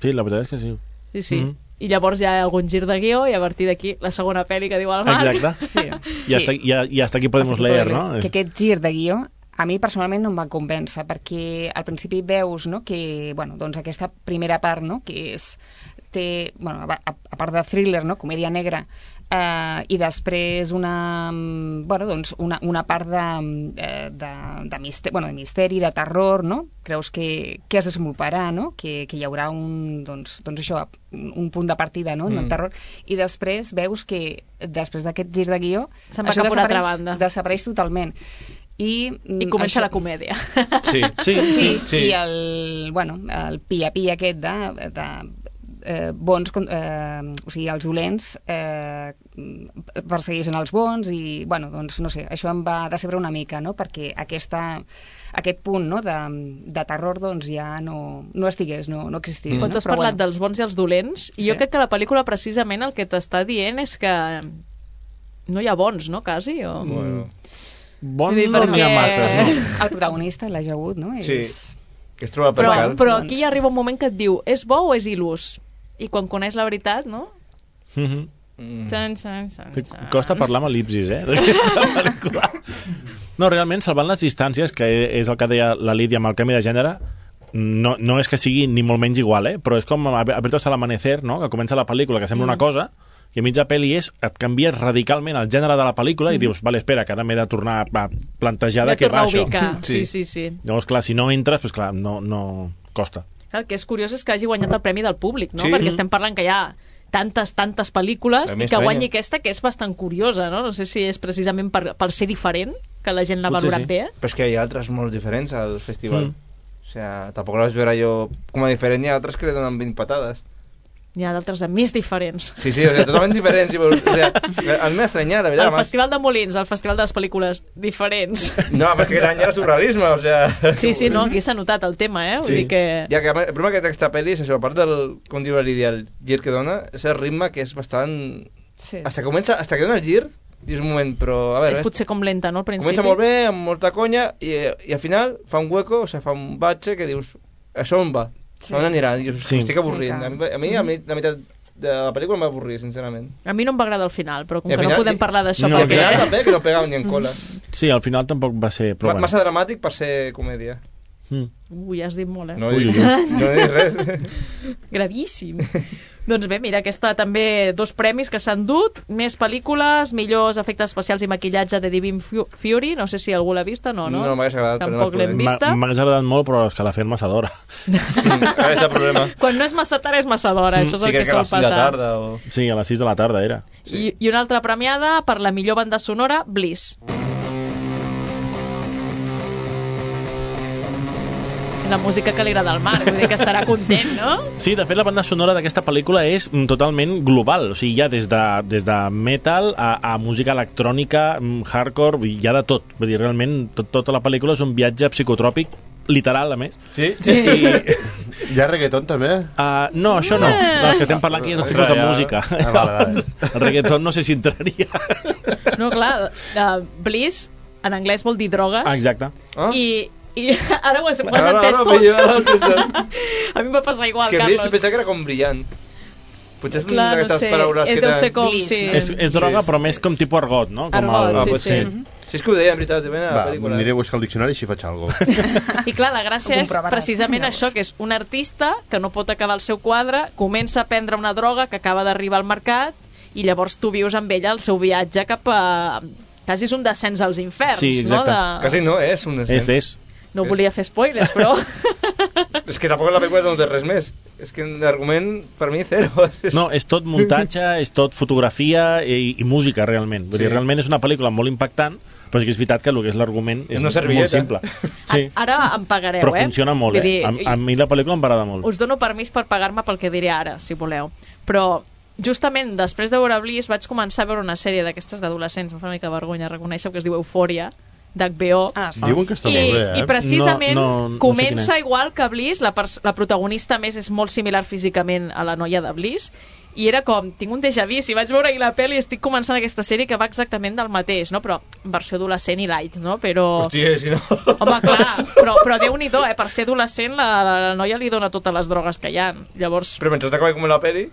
Sí, la veritat és que sí. Sí, sí. Mhm. I llavors hi ha algun gir de guió i a partir d'aquí la segona pel·li que diu el Marc. Exacte. Sí. I hasta, i, i hasta aquí podemos leer, no? Que aquest gir de guió a mi personalment no em va convèncer perquè al principi veus, no, que bueno, doncs aquesta primera part, no, que és té, bueno, a, a part de thriller, no, comèdia negra, eh, i després una, mm, bueno, doncs una, una part de, eh, de, de, misteri, bueno, de misteri, de terror, no? Creus que, que es desenvoluparà, no? Que, que hi haurà un, doncs, doncs això, un, un punt de partida, no? Mm. Del terror, i després veus que després d'aquest gir de guió Se'n va això cap a una altra desapareix- banda. desapareix totalment. I, mm, I comença això- la comèdia. Sí, sí, sí, sí. I el, bueno, el pia-pia aquest de, de eh, bons, con- eh, o sigui, els dolents eh, persegueixen els bons i, bueno, doncs, no sé, això em va decebre una mica, no?, perquè aquesta, aquest punt, no?, de, de terror, doncs, ja no, no estigués, no, no existís. Quan no? tu has Però, parlat bueno, dels bons i els dolents, i jo Sí. crec que la pel·lícula precisament el que t'està dient és que no hi ha bons, no, quasi? O... Bueno. Bons Vull dir, no n'hi ha perquè- masses, no? el protagonista, l'Elijah Wood, no? Sí, És... que es troba per Però, cal. però aquí hi arriba un moment que et diu és bo o és il·lus? I quan coneix la veritat, no? Mhm. Xan, xan, xan, Que xan. costa parlar amb el·lipsis, eh? d'aquesta pel·lícula. No, realment, salvant les distàncies, que és el que deia la Lídia amb el canvi de gènere, no, no és que sigui ni molt menys igual, eh? Però és com Apertos al amanecer, no?, que comença la pel·lícula, que sembla Mm. una cosa, i a mitja pel·li és, et canvies radicalment el gènere de la pel·lícula i dius, vale, espera, que ara m'he de tornar a plantejar M'he de què tornar va a això. ubicar. Sí, sí, sí. Llavors, clar, si no entres, pues, clar, no, no costa. El que és curiós és que hagi guanyat el Premi del Públic, no? Sí. Perquè estem parlant que hi ha tantes, tantes pel·lícules A i mi que estranya. guanyi aquesta, que és bastant curiosa, no? No sé si és precisament per, per ser diferent que la gent l'ha Potser valorat sí. bé. Però és que hi ha altres molt diferents al festival. Mm. O sea, tampoc la vaig veure jo com a diferent. Hi ha altres que li donen vint patades. N'hi ha d'altres de més diferents. Sí, sí, o sea, totalment diferents. O sea, a mi m'ha estranyat, la veritat. El además. Festival de Molins, el Festival de les Pel·lícules diferents. No, perquè aquest any era surrealisme, o sea... Sí, sí, no, aquí s'ha notat el tema, eh? Vull Sí. dir que... Ja que a més, el problema que té aquesta pel·li és això, a part del, com diu la Lídia, el gir que dona, és el ritme que és bastant... Sí. Hasta que comença, hasta que dona el gir, dius un moment, però a veure... És potser com lenta, no, al principi? Comença molt bé, amb molta conya, i, i al final fa un hueco, o sigui, fa un batxe que dius, això on va? Sí. Sí. On anirà? I dius, Sí. m'estic avorrint. Sí, A mi, a mi, a mi la meitat de la pel·lícula em va avorrir, sincerament. A mi no em va agradar el final, però com I al que no final- podem parlar d'això No, I al perquè... final també, que no pegava ni en cola. Sí, al final tampoc va ser... Però Ma, bueno. Massa dramàtic per ser comèdia. Mm. Ui, has dit molt, eh? No, Ui, dic, ui, ui. no he dit res. Gravíssim. Doncs bé, mira, aquesta també dos premis que s'han dut, més pel·lícules, millors efectes especials i maquillatge de Divine Fu- Fury, no sé si algú l'ha vista, no, no? No, m'hagués agradat, però no Tampoc la l'hem podem. vista. M'ha- M'hagués agradat molt, però és que la fem massa d'hora. Ara és el problema. Quan no és massa tard és massa d'hora, això és Sí, el que crec que a sol les sis de passar. tarda o... Sí, a les sis de la tarda era. I, I una altra premiada per la millor banda sonora, Bliss. La música que li agrada al Marc, vull dir que estarà content, no? Sí, de fet, la banda sonora d'aquesta pel·lícula és mm, totalment global. O sigui, hi ha des de, des de metal a, a música electrònica, mm, hardcore, vull dir, hi ha de tot. Vull dir, realment, tot, tota la pel·lícula és un viatge psicotròpic, literal, a més. Sí? Sí. I, Hi ha reggaeton, també? uh, no, això no. No, és que estem parlant aquí de tipus de Ja. música. Ah, vale, vale. El reggaeton no sé si entraria. No, clar, uh, Bliss en anglès vol dir drogues. Ah, exacte. Ah? I, i ara ho has, ho has Ara, entès ara, tot. ara, ara, ara, A mi em va passar igual, és que Bliss Carlos. pensava que era com brillant. Potser és Clar, una no d'aquestes sé, paraules eh, que deu tenen... ser com, Bliss, sí. no? És, és droga, però més com tipus argot, no? Com Argot, Ah, sí, pot sí. ser. Si és que ho deia, en veritat, ben a la Va, pel·lícula. aniré a buscar el diccionari i així faig alguna cosa. I clar, la gràcia Ho és comprovaràs. precisament Llavors. això, que és un artista que no pot acabar el seu quadre, comença a prendre una droga que acaba d'arribar al mercat i llavors tu vius amb ella el seu viatge cap a... Quasi és un descens als inferns, sí, exacte. no? De... Quasi no, és un descens. És, és. No volia fer spoilers, però... És que tampoc la pel·lícula no té res més. És que l'argument, per mi, zero. No, és tot muntatge, és tot fotografia i, i música, realment. Vull Sí. dir, realment és una pel·lícula molt impactant, però sí que és veritat que el que és l'argument és, És una molt servilleta. simple. Sí. Ara em pagareu, Però eh? funciona molt, Vull eh? dir, A, a mi la pel·lícula em va agradar molt. Us dono permís per pagar-me pel que diré ara, si voleu. Però justament després de veure Bliss vaig començar a veure una sèrie d'aquestes d'adolescents, em fa una mica vergonya reconèixer, que es diu Eufòria, d'H B O. Ah, sí. Diuen que està I, molt bé, eh? I precisament No, no- no sé comença quina és. igual que Bliss, la, pers- la protagonista més és molt similar físicament a la noia de Bliss, i era com, tinc un déjà vu, si vaig veure ahir la pel·li estic començant aquesta sèrie que va exactament del mateix, no? Però en versió adolescent i light, no? Però... Hòstia, si no... Home, clar, però, però Déu-n'hi-do, eh? Per ser adolescent la, la, la noia li dona totes les drogues que hi ha. Llavors, Però mentre t'acaba com la peli...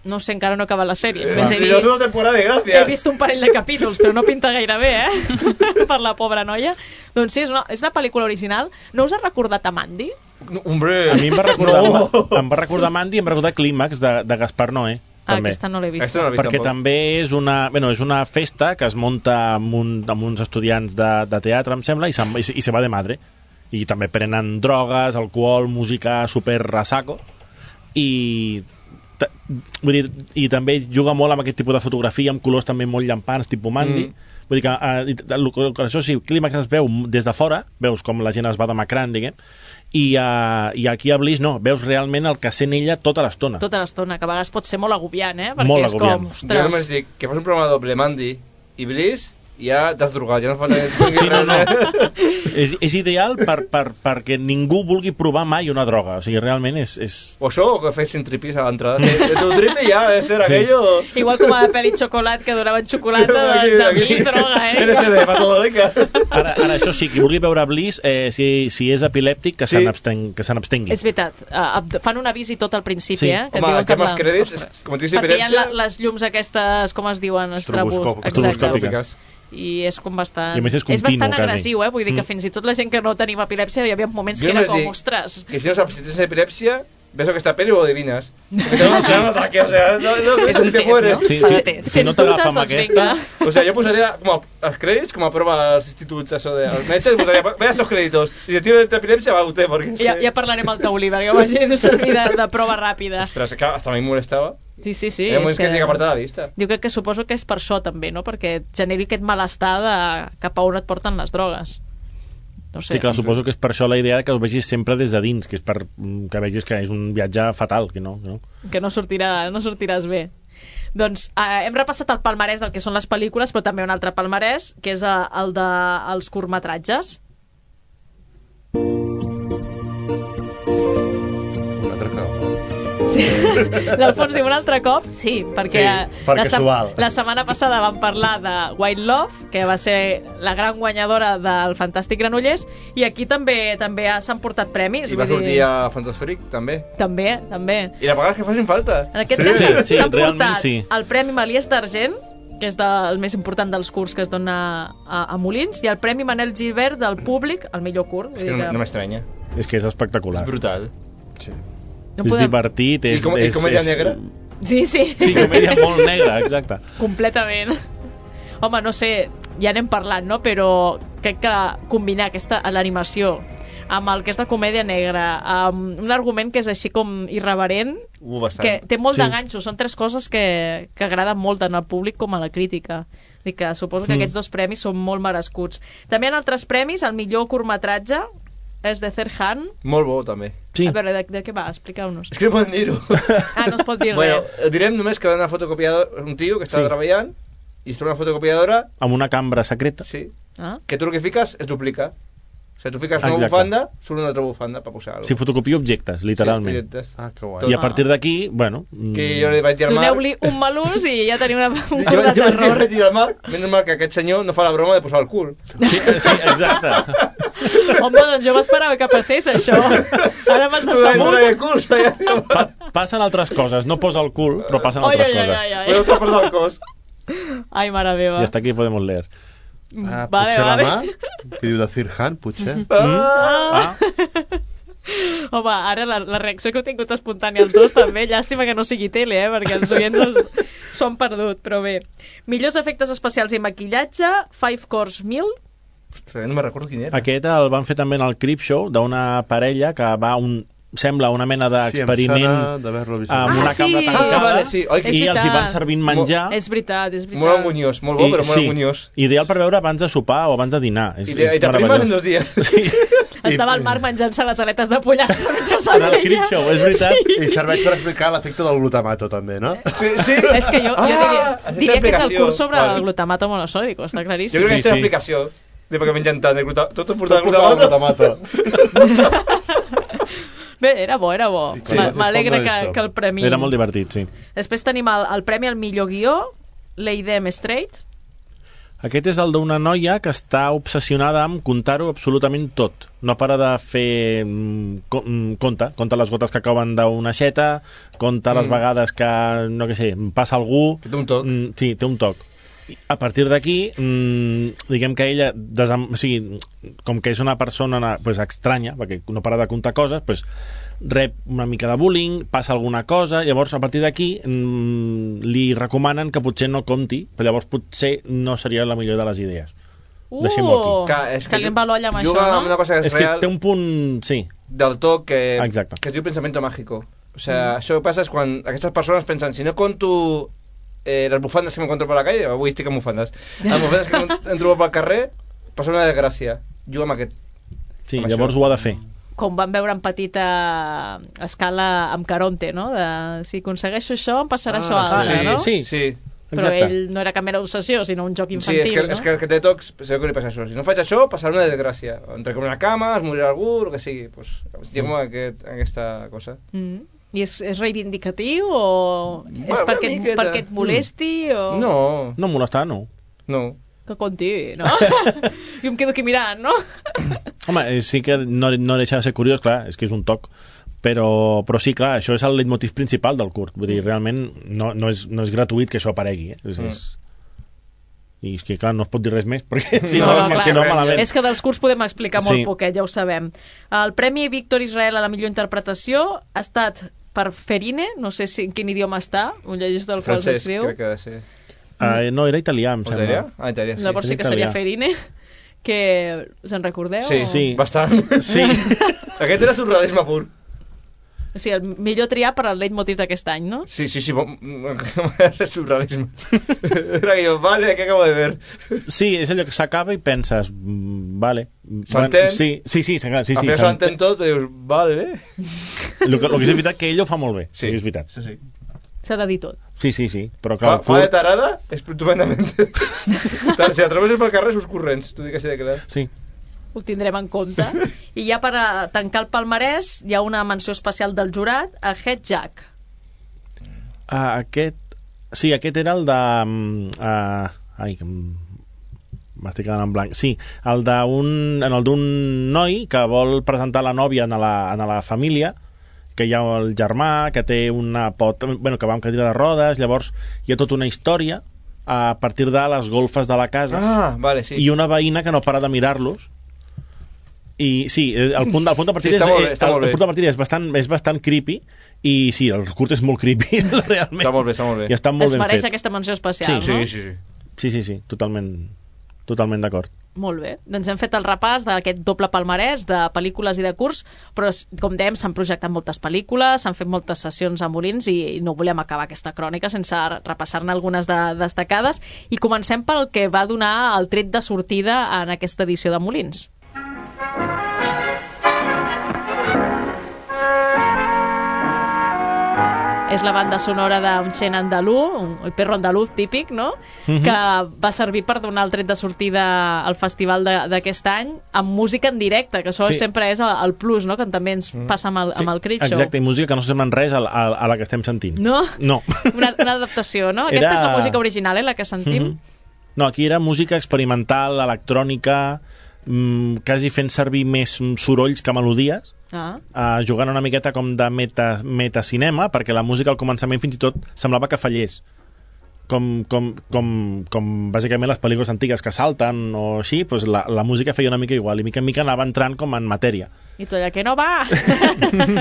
no sé, encara no he acabat la sèrie. Eh, Només he, sí, jo vist, soc una temporada de gràcia. he vist un parell de capítols, però no pinta gaire bé, eh? Per la pobra noia. Doncs sí, és una, és una pel·lícula original. No us ha recordat a Mandy? No, hombre... A mi em va recordar, No. em va recordar Mandy i em va recordar Clímax de, de Gaspar Noé. Ah, També. aquesta no l'he vist. Aquesta no l'he vist Perquè tampoc. també és una, bueno, és una festa que es munta amb, un, amb uns estudiants de, de teatre, em sembla, i, se'n- i, se- i se va de madre. I també prenen drogues, alcohol, música super rasaco, i ta- vull dir, i també juga molt amb aquest tipus de fotografia, amb colors també molt llampants, tipus Mandy. Mm. Vull dir que, eh, i- el, el, això sí, Clímax es veu des de fora, veus com la gent es va demacrant, diguem, i, uh, i aquí a Bliss no, veus realment el que sent ella tota l'estona. Tota l'estona, que a vegades pot ser molt agobiant, eh? Perquè Molt és agobiant. com, Jo només ostres... dic que fas un programa doble Mandy i Bliss i ja t'has drogat, ja no fa tant... Sí, no, no. és, és ideal per, per, perquè ningú vulgui provar mai una droga. O sigui, realment és... és... O això, o que fessin tripis a l'entrada. De, de tu tripi ja, és ser Sí. aquello... Igual com a la pel·li Xocolat, que donaven xocolata, Aquí, doncs a aquí. mi és droga, eh? L S D, pa todo rica. Ara, ara, això sí, qui vulgui veure Bliss, eh, si, si és epilèptic, que Sí. se n'absteng- que se n'abstengui. És veritat, uh, fan un avís i tot al principi, Sí. eh? Que et Home, diuen el tema amb dels crèdits, és- com tens perquè hi ha la, epilèpsia- les llums aquestes, com es diuen? Estroboscòpiques. Estroboscòpiques. I és com bastant... I a més és continu, bastant quasi. agressiu, eh? Vull dir que Mm. fins i tot la gent que no tenim epilèpsia hi havia moments Jo que era només com, dic ostres... Que si no saps si tens epilèpsia, ves aquesta peli o ho adivinas. Que te va a un ataque, o sea, no, no, És no un te test, mueres. no? Sí, Fa sí, de test. si no Tens t'agafa dubtes, amb doncs aquesta... vinga. O sea, yo posaría como a- els crèdits com a prova als instituts, això de... Als metges, posaria, vea estos créditos. Y si tiene epilèpsia, va usted, porque... es Ja, que- ja parlarem al taulí, perquè ho vaig servir de, de prova ràpida. Ostras, que hasta a mi em molestava. Sí, sí, sí. Hi ha és moments que tinc que apartar la vista. Jo crec que suposo que és per això també, no? Perquè generi aquest malestar de cap a on et porten les drogues. No sé. Sí, clar, suposo que és per això la idea que ho vegis sempre des de dins, que és per mm, que vegis que és un viatge fatal, que no, que no. Que no, sortirà, no sortiràs bé. Doncs eh, hem repassat el palmarès del que són les pel·lícules, però també un altre palmarès, que és eh, el dels curtmetratges. Un altre cop. Sí. L'Alfons diu un altre cop, sí, perquè, Sí, perquè la, s'ho val. la setmana passada vam parlar de White Love, que va ser la gran guanyadora del Fantàstic Granollers, i aquí també també ha- s'han portat premis. I va vull sortir dir- a Fantasfric, també. També, també. I la vegades que facin falta. En aquest Sí. cas s'han sí, s'han realment portat sí. el Premi Malies d'Argent, que és del més important dels curts que es dona a, a Molins, i el Premi Manel Gilbert del públic, el millor curt. És que no, no m'estranya. És que és espectacular. És brutal. Sí. No és podem- divertit, és... I, com, i és, comèdia és... negra? Sí, sí. Sí, comèdia molt negra, exacte. Completament. Home, no sé, ja n'hem parlat, no? Però crec que combinar aquesta l'animació amb el que és la comèdia negra, amb un argument que és així com irreverent, Uh, bastant. que té molt Sí. de ganxo, són tres coses que, que agraden molt tant al públic com a la crítica. I que suposo que Mm. aquests dos premis són molt merescuts. També hi ha altres premis, el millor curtmetratge és de Zerhan. Molt bo, també. Sí. A veure, de, de què va? Expliqueu-nos. És que no podem dir-ho. Ah, no es pot dir Bueno, res. direm només que va anar a fotocopiador un tio que estava Sí. treballant i es troba una fotocopiadora Amb una cambra secreta. sí, Ah? que tu el que fiques es duplica. O sigui, tu fiques una Exacte. bufanda, surt una altra bufanda per posar alguna Si fotocopia objectes, literalment. Sí, objectes. Ah, que guai. I a partir d'aquí, bueno... Que jo li vaig dir al Marc... Doneu-li un malús i ja teniu una, un Jo, curt de jo vaig dir, terror. vaig dir al Marc, menys mal que aquest senyor no fa la broma de posar el cul. Sí, sí, exacte. Home, doncs jo m'esperava que passés això. Ara m'has No vaig decebut. el cul, feia... Pa passen altres coses, no posa el cul, però passen Ai, altres ai, ai, coses. ai, ai. Però t'ha perdut el cos. Ai, mare meva. I hasta aquí podemos leer. Ah, Vale, potser vale. la mà, que diu de Firhan, potser. Ah. Ah, Home, ara la, la reacció que heu tingut espontània els dos també, llàstima que no sigui tele, eh, perquè els oients s'ho han perdut, però bé. Millors efectes especials i maquillatge, Five Course Meal. Ostres, no me'n recordo quin era. Aquest el van fer també en el Creepshow, d'una parella que va un sembla una mena d'experiment sí, amb una ah, sí. cambra tancada ah, vale, sí. Oi, i els hi van servint menjar. És veritat, és veritat. Molt anguniós, molt bo, I, però molt sí, anguniós. Ideal per veure abans de sopar o abans de dinar. És, I, i t'aprimes en dos dies. Sí. Estava el Marc menjant-se les aletes de pollastre mentre en el Creepshow, és veritat. Sí. I serveix per explicar l'efecte del glutamato, també, no? Sí, sí. És que jo, jo diria, ah, diria que és el curs sobre vale. el glutamato monosòdico, està claríssim. Jo crec que sí, és sí. l'explicació de per què mengen tant de glutamato. Tot portat Tot portat glutamato. Bé, era bo, era bo. Sí. M'alegra que, que el premi... Era molt divertit, sí. Després tenim el, el premi al millor guió, L'Eidem Straight. Aquest és el d'una noia que està obsessionada amb contar-ho absolutament tot. No para de fer... Conta, conta les gotes que cauen d'una aixeta, conta les Mm. vegades que, no què sé, passa algú... Té un toc. Sí, té un toc. A partir d'aquí, mmm, diguem que ella, desam... o sigui, com que és una persona pues, estranya, perquè no para de contar coses, pues, rep una mica de bullying, passa alguna cosa, llavors a partir d'aquí mmm, li recomanen que potser no compti, però llavors potser no seria la millor de les idees. Uh, Deixem-ho aquí. Que, és que li va l'olla amb això, juga no? amb una cosa que és, És que real té un punt... Sí, del toc que, Exacte. que es diu pensamiento mágico. O sea, això que passa és quan aquestes persones pensen, si no conto eh, les bufandes que m'encontro per la calle, avui estic amb bufandes, les bufandes que em trobo pel carrer, passa una desgràcia. Juga amb aquest. sí amb llavors això. ho ha de fer. Com vam veure en petita escala amb Caronte, no? De, si aconsegueixo això, em passarà Ah, això altre, sí, no? Sí, Sí. Però exacte. ell no era cap mera obsessió, sinó un joc Sí, infantil, és que, no? és que el que té tocs, segur que li passa això. Si no faig això, passarà una desgràcia. Entre com una cama, es morirà algú, el que sigui. Pues, llego amb aquest, aquesta cosa. Mm. I és, és reivindicatiu o és Bueno, perquè, una et, miqueta. perquè et molesti o... No, No em molestarà, no. no. Que conti, no? Jo em quedo aquí mirant, no? Home, eh, sí que no, no deixa de ser curiós, clar, és que és un toc, però, però sí, clar, això és el leitmotiv principal del curt. Vull dir, realment no, no, és, no és gratuït que això aparegui, eh? És, Mm. és... I és que, clar, no es pot dir res més, perquè si No, no, no, no, clar. si no malament. És que dels curs podem explicar molt Sí. poquet, ja ho sabem. El Premi Víctor Israel a la millor interpretació ha estat per Ferine, no sé si en quin idioma està, un llegeix del qual Francesc, s'escriu. crec que ha de ser. Uh, no, era italià, em O sembla. italià? Ah, italià, sí. Llavors sí que seria italià. Ferine, que se'n recordeu? Sí, Sí. bastant. Sí. Aquest era surrealisme pur. O sigui, el millor triar per al leitmotiv d'aquest any, no? Sí, sí, sí, bon- surrealisme. Era que jo, vale, ¿qué acabo de ver? Sí, és allò que s'acaba i penses, mm, vale. S'entén? Bueno, sí, sí, sí, s'acaba, sí, Al sí, final s'entén tot, i dius, vale. El que, el que és veritat que ell ho fa molt bé, Sí. és veritat. Sí, sí. S'ha de dir tot. Sí, sí, sí, però Fa, clar, fa de curt, tarada, estupendament. Tant, si atravesses pel carrer, sus corrents, t'ho dic així de clar. sí. Ho tindrem en compte. I ja per a tancar el palmarès hi ha una menció especial del jurat a Head Jack. Uh, aquest... Sí, aquest era el de... Uh, ai, que m- m'estic quedant en blanc. Sí, el d'un en el d'un noi que vol presentar la nòvia en la, en la família, que hi ha el germà, que té una pot... Bueno, que va amb cadira de rodes, llavors hi ha tota una història a partir de les golfes de la casa Ah, vale, sí. i una veïna que no para de mirar-los. I sí, el punt, el punt de partida Sí, està és, molt bé, eh, està el, molt el bé. punt de partida és bastant, és bastant creepy i sí, el curt és molt creepy realment. Està molt bé, està molt bé. I està molt Es ben mereix fet. aquesta menció especial, Sí, no? Sí, sí, sí. Sí, sí, sí, totalment, totalment d'acord. Molt bé. Doncs hem fet el repàs d'aquest doble palmarès de pel·lícules i de curts, però, com dèiem, s'han projectat moltes pel·lícules, s'han fet moltes sessions a Molins i no volem acabar aquesta crònica sense repassar-ne algunes de destacades. I comencem pel que va donar el tret de sortida en aquesta edició de Molins. És la banda sonora d'un xen andalú, un, el perro andaluz típic, no? Mhm. Que va servir per donar el tret de sortida al festival de- d'aquest any amb música en directe, que això Sí. sempre és el, el plus, no? Que també ens passa amb el, amb el Creep Show. Exacte, i música que no sembla en res a, a, a la que estem sentint. No? No. Una, una adaptació, no? Aquesta Era- és la música original, eh, la que sentim. Mhm. No, aquí era música experimental, electrònica, mmm, quasi fent servir més mm, sorolls que melodies, Ah. uh, jugant una miqueta com de meta, metacinema, perquè la música al començament fins i tot semblava que fallés. Com, com, com, com bàsicament les pel·lícules antigues que salten o així, doncs la, la música feia una mica igual, i mica en mica anava entrant com en matèria. I tu allà, que no va!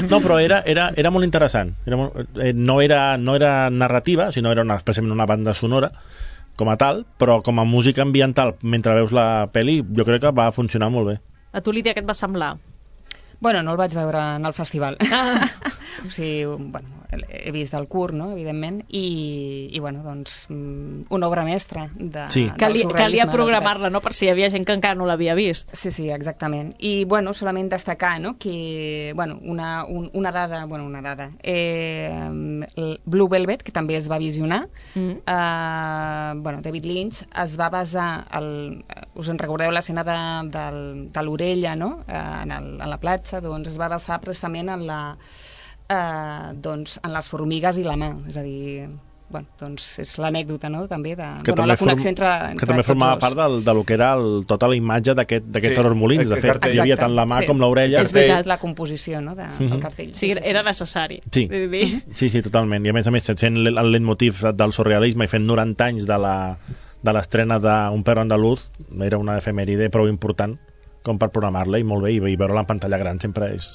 No, però era, era, era molt interessant. Era molt, eh, no, era, no era narrativa, sinó era una, especialment una banda sonora, com a tal, però com a música ambiental, mentre veus la pel·li, jo crec que va funcionar molt bé. A tu, Lídia, què et va semblar? Bueno, no el vaig veure en el festival. Ah. O sigui, bueno, he vist el curt, no?, evidentment, i, i bueno, doncs, una obra mestra de, sí. del Calia, surrealisme. Calia programar-la, no?, per si hi havia gent que encara no l'havia vist. Sí, sí, exactament. I, bueno, solament destacar, no?, que, bueno, una, un, una dada, bueno, una dada, eh, Blue Velvet, que també es va visionar, mm. eh, bueno, David Lynch es va basar, el, us en recordeu l'escena de, de, de l'orella, no?, eh, en, el, en la platja, doncs es va basar precisament en la eh, doncs en les formigues i la mà, és a dir, bueno, doncs és l'anècdota, no?, també de que bueno, també la connexió form, entre, entre que també formava tots part del, de lo que era el, tota la imatge d'aquest sí. Horror Molins, de fet, hi havia tant la mà sí. com l'orella. És veritat, la composició, no?, de, mm-hmm. del cartell. Sí, sí, era necessari. Sí. sí, sí, totalment. I a més a més, sent el leitmotiv del surrealisme i fent noranta anys de la de l'estrena d'Un perro andaluz, era una efemèride prou important com per programar-la, i molt bé, i, i veure-la en pantalla gran sempre és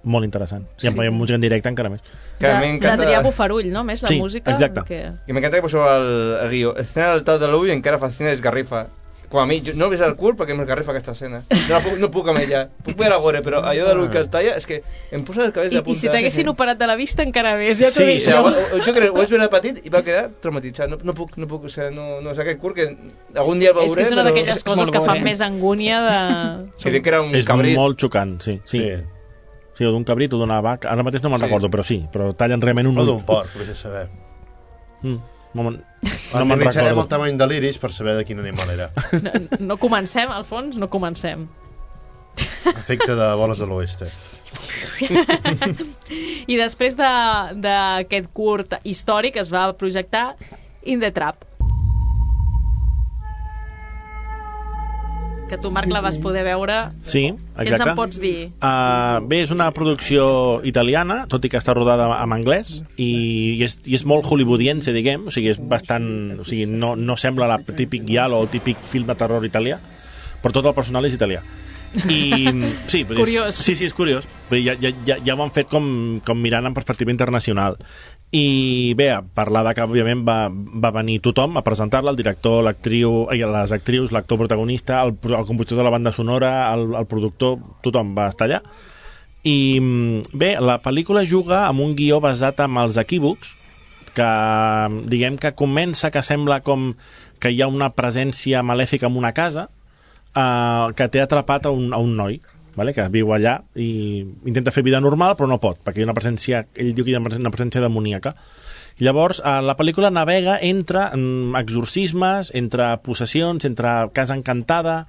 molt interessant. I amb sí. música en directe encara més. D'Adrià Bufarull, no?, més la sí, música. Exacte. Que... I m'encanta que poseu el, el guió. Escena del tal de l'ull encara fascina desgarrifa. Com a mi, jo no he vist el curt perquè m'esgarrifa aquesta escena. No, puc, no puc amb ella. Puc veure a gore, però allò de l'ull que el talla és que em posa els cabells de punta. I si t'haguessin sí, sí. operat de la vista encara més, ja t'ho sí, dic. Sí, o sigui, jo crec, ho vaig veure petit i va quedar traumatitzat. No, no puc, no puc, o sigui, no, no és aquest curt que algun dia veuré. És que és una però... d'aquelles coses que fan més angúnia de... Sí, que era un és cabrit. És molt xocant, sí. Sí, sí. sí o d'un cabrit o d'una vaca. Ara mateix no me'n sí. recordo, però sí. Però tallen realment un... O d'un porc, vull saber. Mm. No, no analitzarem el tamany de l'iris per saber de quin animal era. No, no comencem, Alfons, no comencem. Efecte de boles de l'oeste. I després d'aquest de, curt històric es va projectar In the Trap. Que tu, Marc, la vas poder veure. Sí, exacte. Què ens en pots dir? Uh, bé, és una producció italiana, tot i que està rodada en anglès, i, i, és, i és molt hollywoodiense, diguem, o sigui, és bastant... O sigui, no, no sembla el típic giallo o el típic film de terror italià, però tot el personal és italià. I, sí, curiós. Sí, sí, és curiós. Ja, ja, ja, ja ho han fet com, com mirant en perspectiva internacional. I bé, a parlar de que òbviament va, va venir tothom a presentar-la, el director, l'actriu, les actrius, l'actor protagonista, el, el compositor de la banda sonora, el, el productor, tothom va estar allà. I bé, la pel·lícula juga amb un guió basat en els equívocs, que diguem que comença que sembla com que hi ha una presència malèfica en una casa, eh, que té atrapat a un, a un noi, vale? Que viu allà i intenta fer vida normal però no pot, perquè hi ha una presència, ell diu que hi ha una presència demoníaca. I llavors eh, la pel·lícula navega entre mm, exorcismes, entre possessions, entre casa encantada,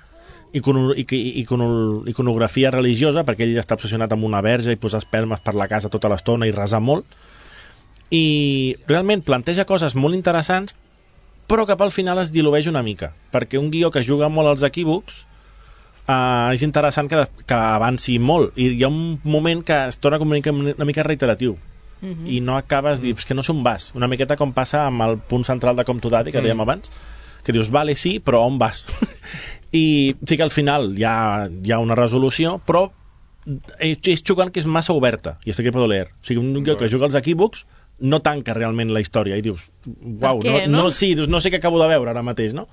icono, icono, iconografia religiosa, perquè ell està obsessionat amb una verge i posar espelmes per la casa tota l'estona i resar molt, i realment planteja coses molt interessants, però cap al final es dilueix una mica, perquè un guió que juga molt als equívocs Uh, és interessant que, que avanci molt, i hi ha un moment que es torna com una mica, una mica reiteratiu, uh-huh. i no acabes de dir, és que no sé on vas, una miqueta com passa amb el punt central de Com to Daddy, que uh-huh. dèiem abans, que dius, vale, sí, però on vas? I sí que al final hi ha, hi ha una resolució, però és, és xocant que és massa oberta, i està aquí per leer, o sigui, un guió que juga als equívocs no tanca realment la història, i dius, uau, no, no? no, sí, dius, no sé què acabo de veure ara mateix, no?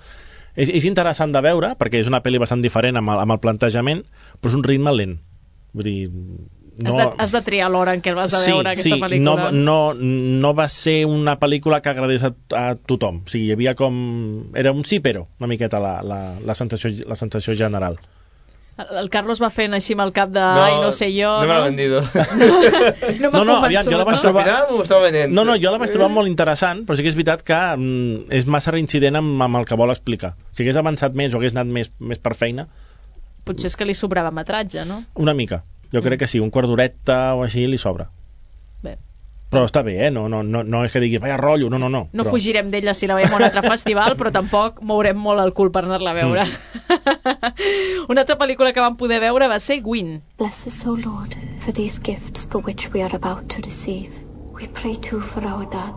És, és interessant de veure, perquè és una pel·li bastant diferent amb el, amb el plantejament, però és un ritme lent. Vull dir... No... Has, de, has de triar l'hora en què vas a sí, veure aquesta sí, pel·lícula. No, no, no va ser una pel·lícula que agradés a, a tothom. O sigui, hi havia com... Era un sí, però, una miqueta la, la, la, sensació, la sensació general. El Carlos va fent així amb el cap de no, ai, no sé jo... No, no me l'ha vendido. no no, no, aviam, jo la vaig trobar... No, no, no, jo la vaig trobar molt interessant, però sí que és veritat que mm, és massa reincident amb, amb el que vol explicar. Si hagués avançat més o hagués anat més, més per feina... Potser és que li sobrava metratge, no? Una mica. Jo crec que sí, un quart d'horeta o així li sobra. Bé. Però està bé, eh? No, no, no, no és que diguis, vaya rotllo, no, no, no. No però... fugirem d'ella si la veiem a un altre festival, però tampoc mourem molt el cul per anar-la a veure. Mm. Una altra pel·lícula que vam poder veure va ser Gwyn. Bless us, O Lord, for these gifts for which we are about to receive. We pray too for our dad,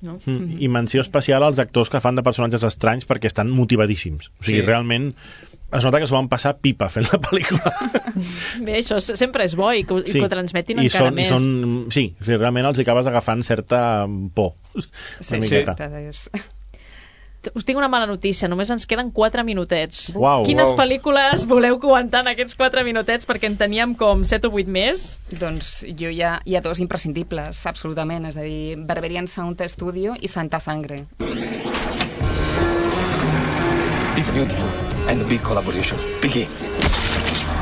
No? Mm. I menció especial als actors que fan de personatges estranys perquè estan motivadíssims. O sigui, Sí. realment es nota que s'ho van passar pipa fent la pel·lícula. Bé, això sempre és bo i que, sí. i que ho transmetin I encara són, més. I són, sí, o sigui, realment els acabes agafant certa por. Sí, una miqueta. és... Us tinc una mala notícia, només ens queden quatre minutets. Uau, Quines uau. pel·lícules voleu comentar en aquests quatre minutets? Perquè en teníem com set o vuit més. Doncs jo hi ha, hi ha dos imprescindibles, absolutament, és a dir, Berberian Sound Studio i Santa Sangre. It's beautiful, and the big collaboration begins.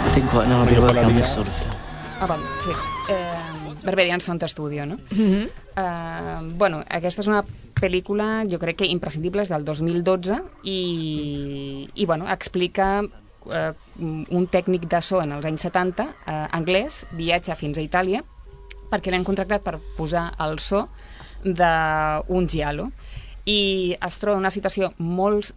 I think right now I'll be working on this sort of film. Ah, val, sí. Eh, Berberian Sound Studio, no? Mm-hmm. Eh, bueno, aquesta és una pel·lícula, jo crec que imprescindible, és del dos mil dotze i, i bueno, explica eh, un tècnic de so en els anys setanta, eh, anglès, viatja fins a Itàlia perquè l'han contractat per posar el so d'un giallo i es troba en una situació molt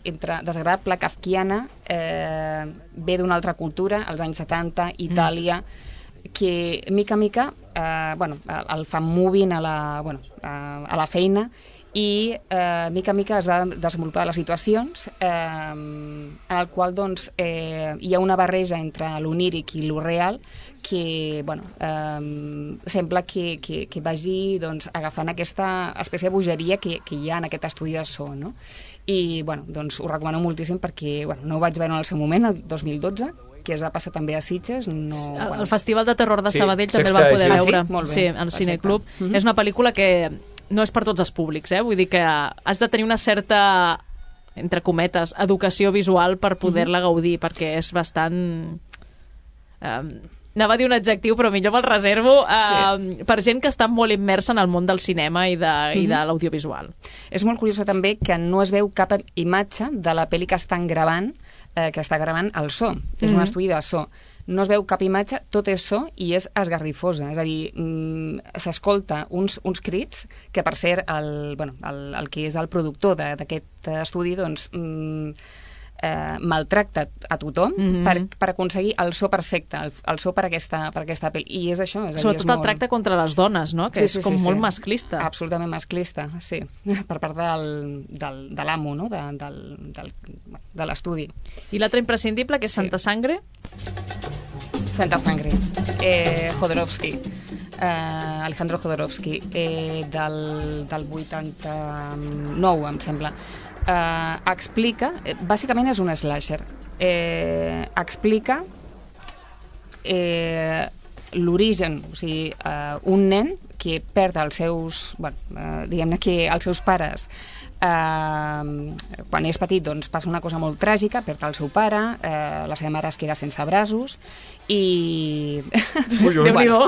entre desagradable, kafkiana, eh, ve d'una altra cultura, als anys setanta, Itàlia, mm. que mica en mica eh, bueno, el fan moving a la, bueno, a, a la feina i eh, mica en mica es va desenvolupar les situacions eh, en el qual doncs, eh, hi ha una barreja entre l'oníric i lo real que bueno, eh, sembla que, que, que vagi doncs, agafant aquesta espècie de bogeria que, que hi ha en aquest estudi de so, no? I bueno, doncs, ho recomano moltíssim perquè bueno, no ho vaig veure en el seu moment, el dos mil dotze, que es va passar també a Sitges. No, el, bueno. el Festival de Terror de Sí, Sabadell també el vam poder ah, veure. sí? Molt bé, Sí, al perfecte. Cineclub. Mm-hmm. És una pel·lícula que no és per tots els públics, eh? Vull dir que has de tenir una certa, entre cometes, educació visual per poder-la gaudir, perquè és bastant... Eh, anava a dir un adjectiu, però millor me'l reservo, eh, sí. per gent que està molt immersa en el món del cinema i de, mm-hmm. i de l'audiovisual. És molt curiós també que no es veu cap imatge de la pel·li que estan gravant, eh, que està gravant el so. És Mm-hmm. un estudi de so. No es veu cap imatge, tot és so i és esgarrifosa. És a dir, mm, s'escolta uns, uns crits que, per cert, el, bueno, el, el que és el productor d'aquest estudi, doncs... Mm, Eh, maltracta a tothom Mhm. per, per aconseguir el so perfecte, el, el so per aquesta, per aquesta pel·li. I és això. És a dir, Sobretot és el molt... tracte contra les dones, no? Que Sí, és sí, com sí, molt sí. masclista. Absolutament masclista, sí. Per part del, del, de l'amo, no? De, del, del, de l'estudi. I l'altre imprescindible, que és Santa Sangre? Santa Sangre. Eh, Jodorowsky. Eh, Alejandro Jodorowsky. Eh, del, del vuitanta-nou, em sembla. Eh, explica, eh, bàsicament és un slasher, eh, explica eh, l'origen, o sigui, eh, un nen que perd els seus, bueno, eh, diguem-ne que els seus pares eh, quan és petit doncs passa una cosa molt tràgica, perd el seu pare, eh, la seva mare es queda sense braços i... Ui, ui. Bueno,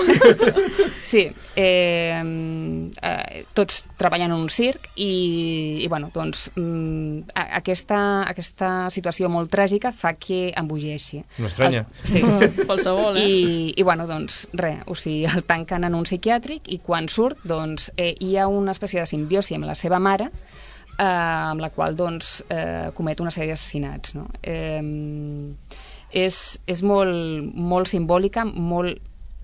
sí, eh, eh, tots treballant en un circ i, i bueno, doncs mm, a, aquesta, aquesta situació molt tràgica fa que embogeixi. No estranya. El, sí. Qualsevol, eh? I, i bueno, doncs res, o sigui, el tanquen en un psiquiàtric i quan surt, doncs, eh, hi ha una espècie de simbiosi amb la seva mare eh, amb la qual doncs, eh, comet una sèrie d'assassinats, no? Eh, és, és molt, molt simbòlica, molt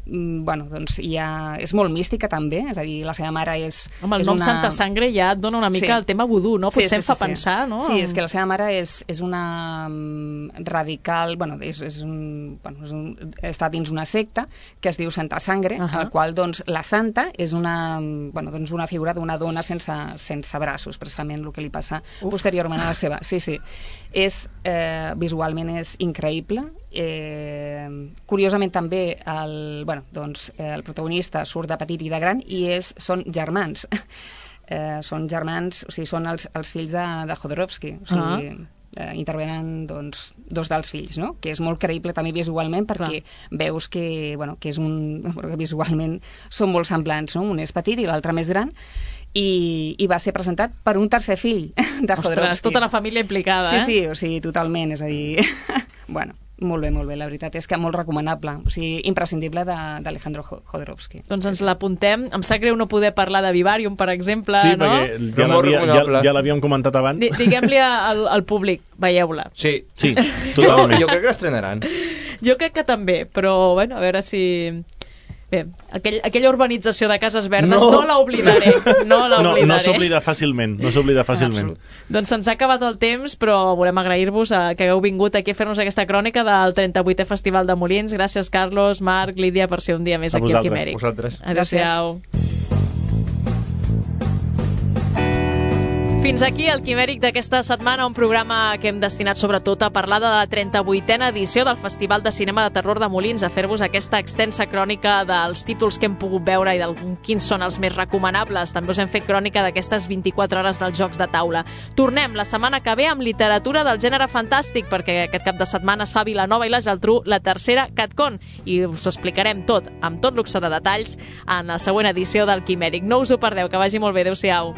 bueno, doncs ja és molt mística també, és a dir, la seva mare és... Home, el és nom una... Santa Sangre ja et dona una mica Sí. el tema vudú, no? Sí, Potser sí, em fa sí, sí. pensar, no? Sí, és que la seva mare és, és una mm, radical, bueno, és, és un, bueno és un, està dins una secta que es diu Santa Sangre, uh -huh. el qual, doncs, la santa és una, bueno, doncs una figura d'una dona sense, sense braços, precisament el que li passa Uf. posteriorment a la seva. Sí, sí. És, eh, visualment és increïble. Eh, curiosament també el, bueno, doncs, eh, el protagonista surt de petit i de gran i és, són germans. Eh, són germans, o sigui, són els, els fills de, de Jodorowsky, o sigui, uh -huh. eh, intervenen doncs, dos dels fills, no? Que és molt creïble també visualment perquè Clar. veus que, bueno, que és un, que visualment són molt semblants, no? Un és petit i l'altre més gran i, i va ser presentat per un tercer fill de Jodorowsky. Ostres, tota la família implicada, sí, eh? Sí, o sigui, totalment, és a dir... bueno, molt bé, molt bé, la veritat és que molt recomanable, o sigui, imprescindible d'Alejandro Jodorowsky. Doncs ens l'apuntem. Em sap greu no poder parlar de Vivarium, per exemple, sí, no? perquè ja l'havia- ja, ja l'havíem comentat abans. Di- Diguem-li al, al públic, veieu-la. Sí. Sí, totalment. Jo, jo crec que l'estrenaran. Jo crec que també, però bueno, a veure si... Bé, aquell, aquella urbanització de Cases Verdes no, no l'oblidaré. No l'oblidaré. No, no s'oblida fàcilment, no s'oblida fàcilment. Doncs se'ns ha acabat el temps, però volem agrair-vos a que hagueu vingut aquí a fer-nos aquesta crònica del trenta-vuitè Festival de Molins. Gràcies, Carlos, Marc, Lídia, per ser un dia més a aquí al Quimèric. A vosaltres. Adéu-siau. Fins aquí el Quimèric d'aquesta setmana, un programa que hem destinat sobretot a parlar de la trenta-vuitena edició del Festival de Cinema de Terror de Molins, a fer-vos aquesta extensa crònica dels títols que hem pogut veure i de quins són els més recomanables. També us hem fet crònica d'aquestes vint-i-quatre hores dels jocs de taula. Tornem la setmana que ve amb literatura del gènere fantàstic, perquè aquest cap de setmana es fa a Vilanova i la Geltrú la tercera CatCon, i us ho explicarem tot, amb tot luxe de detalls, en la següent edició del Quimèric. No us ho perdeu, que vagi molt bé. Adéu-siau.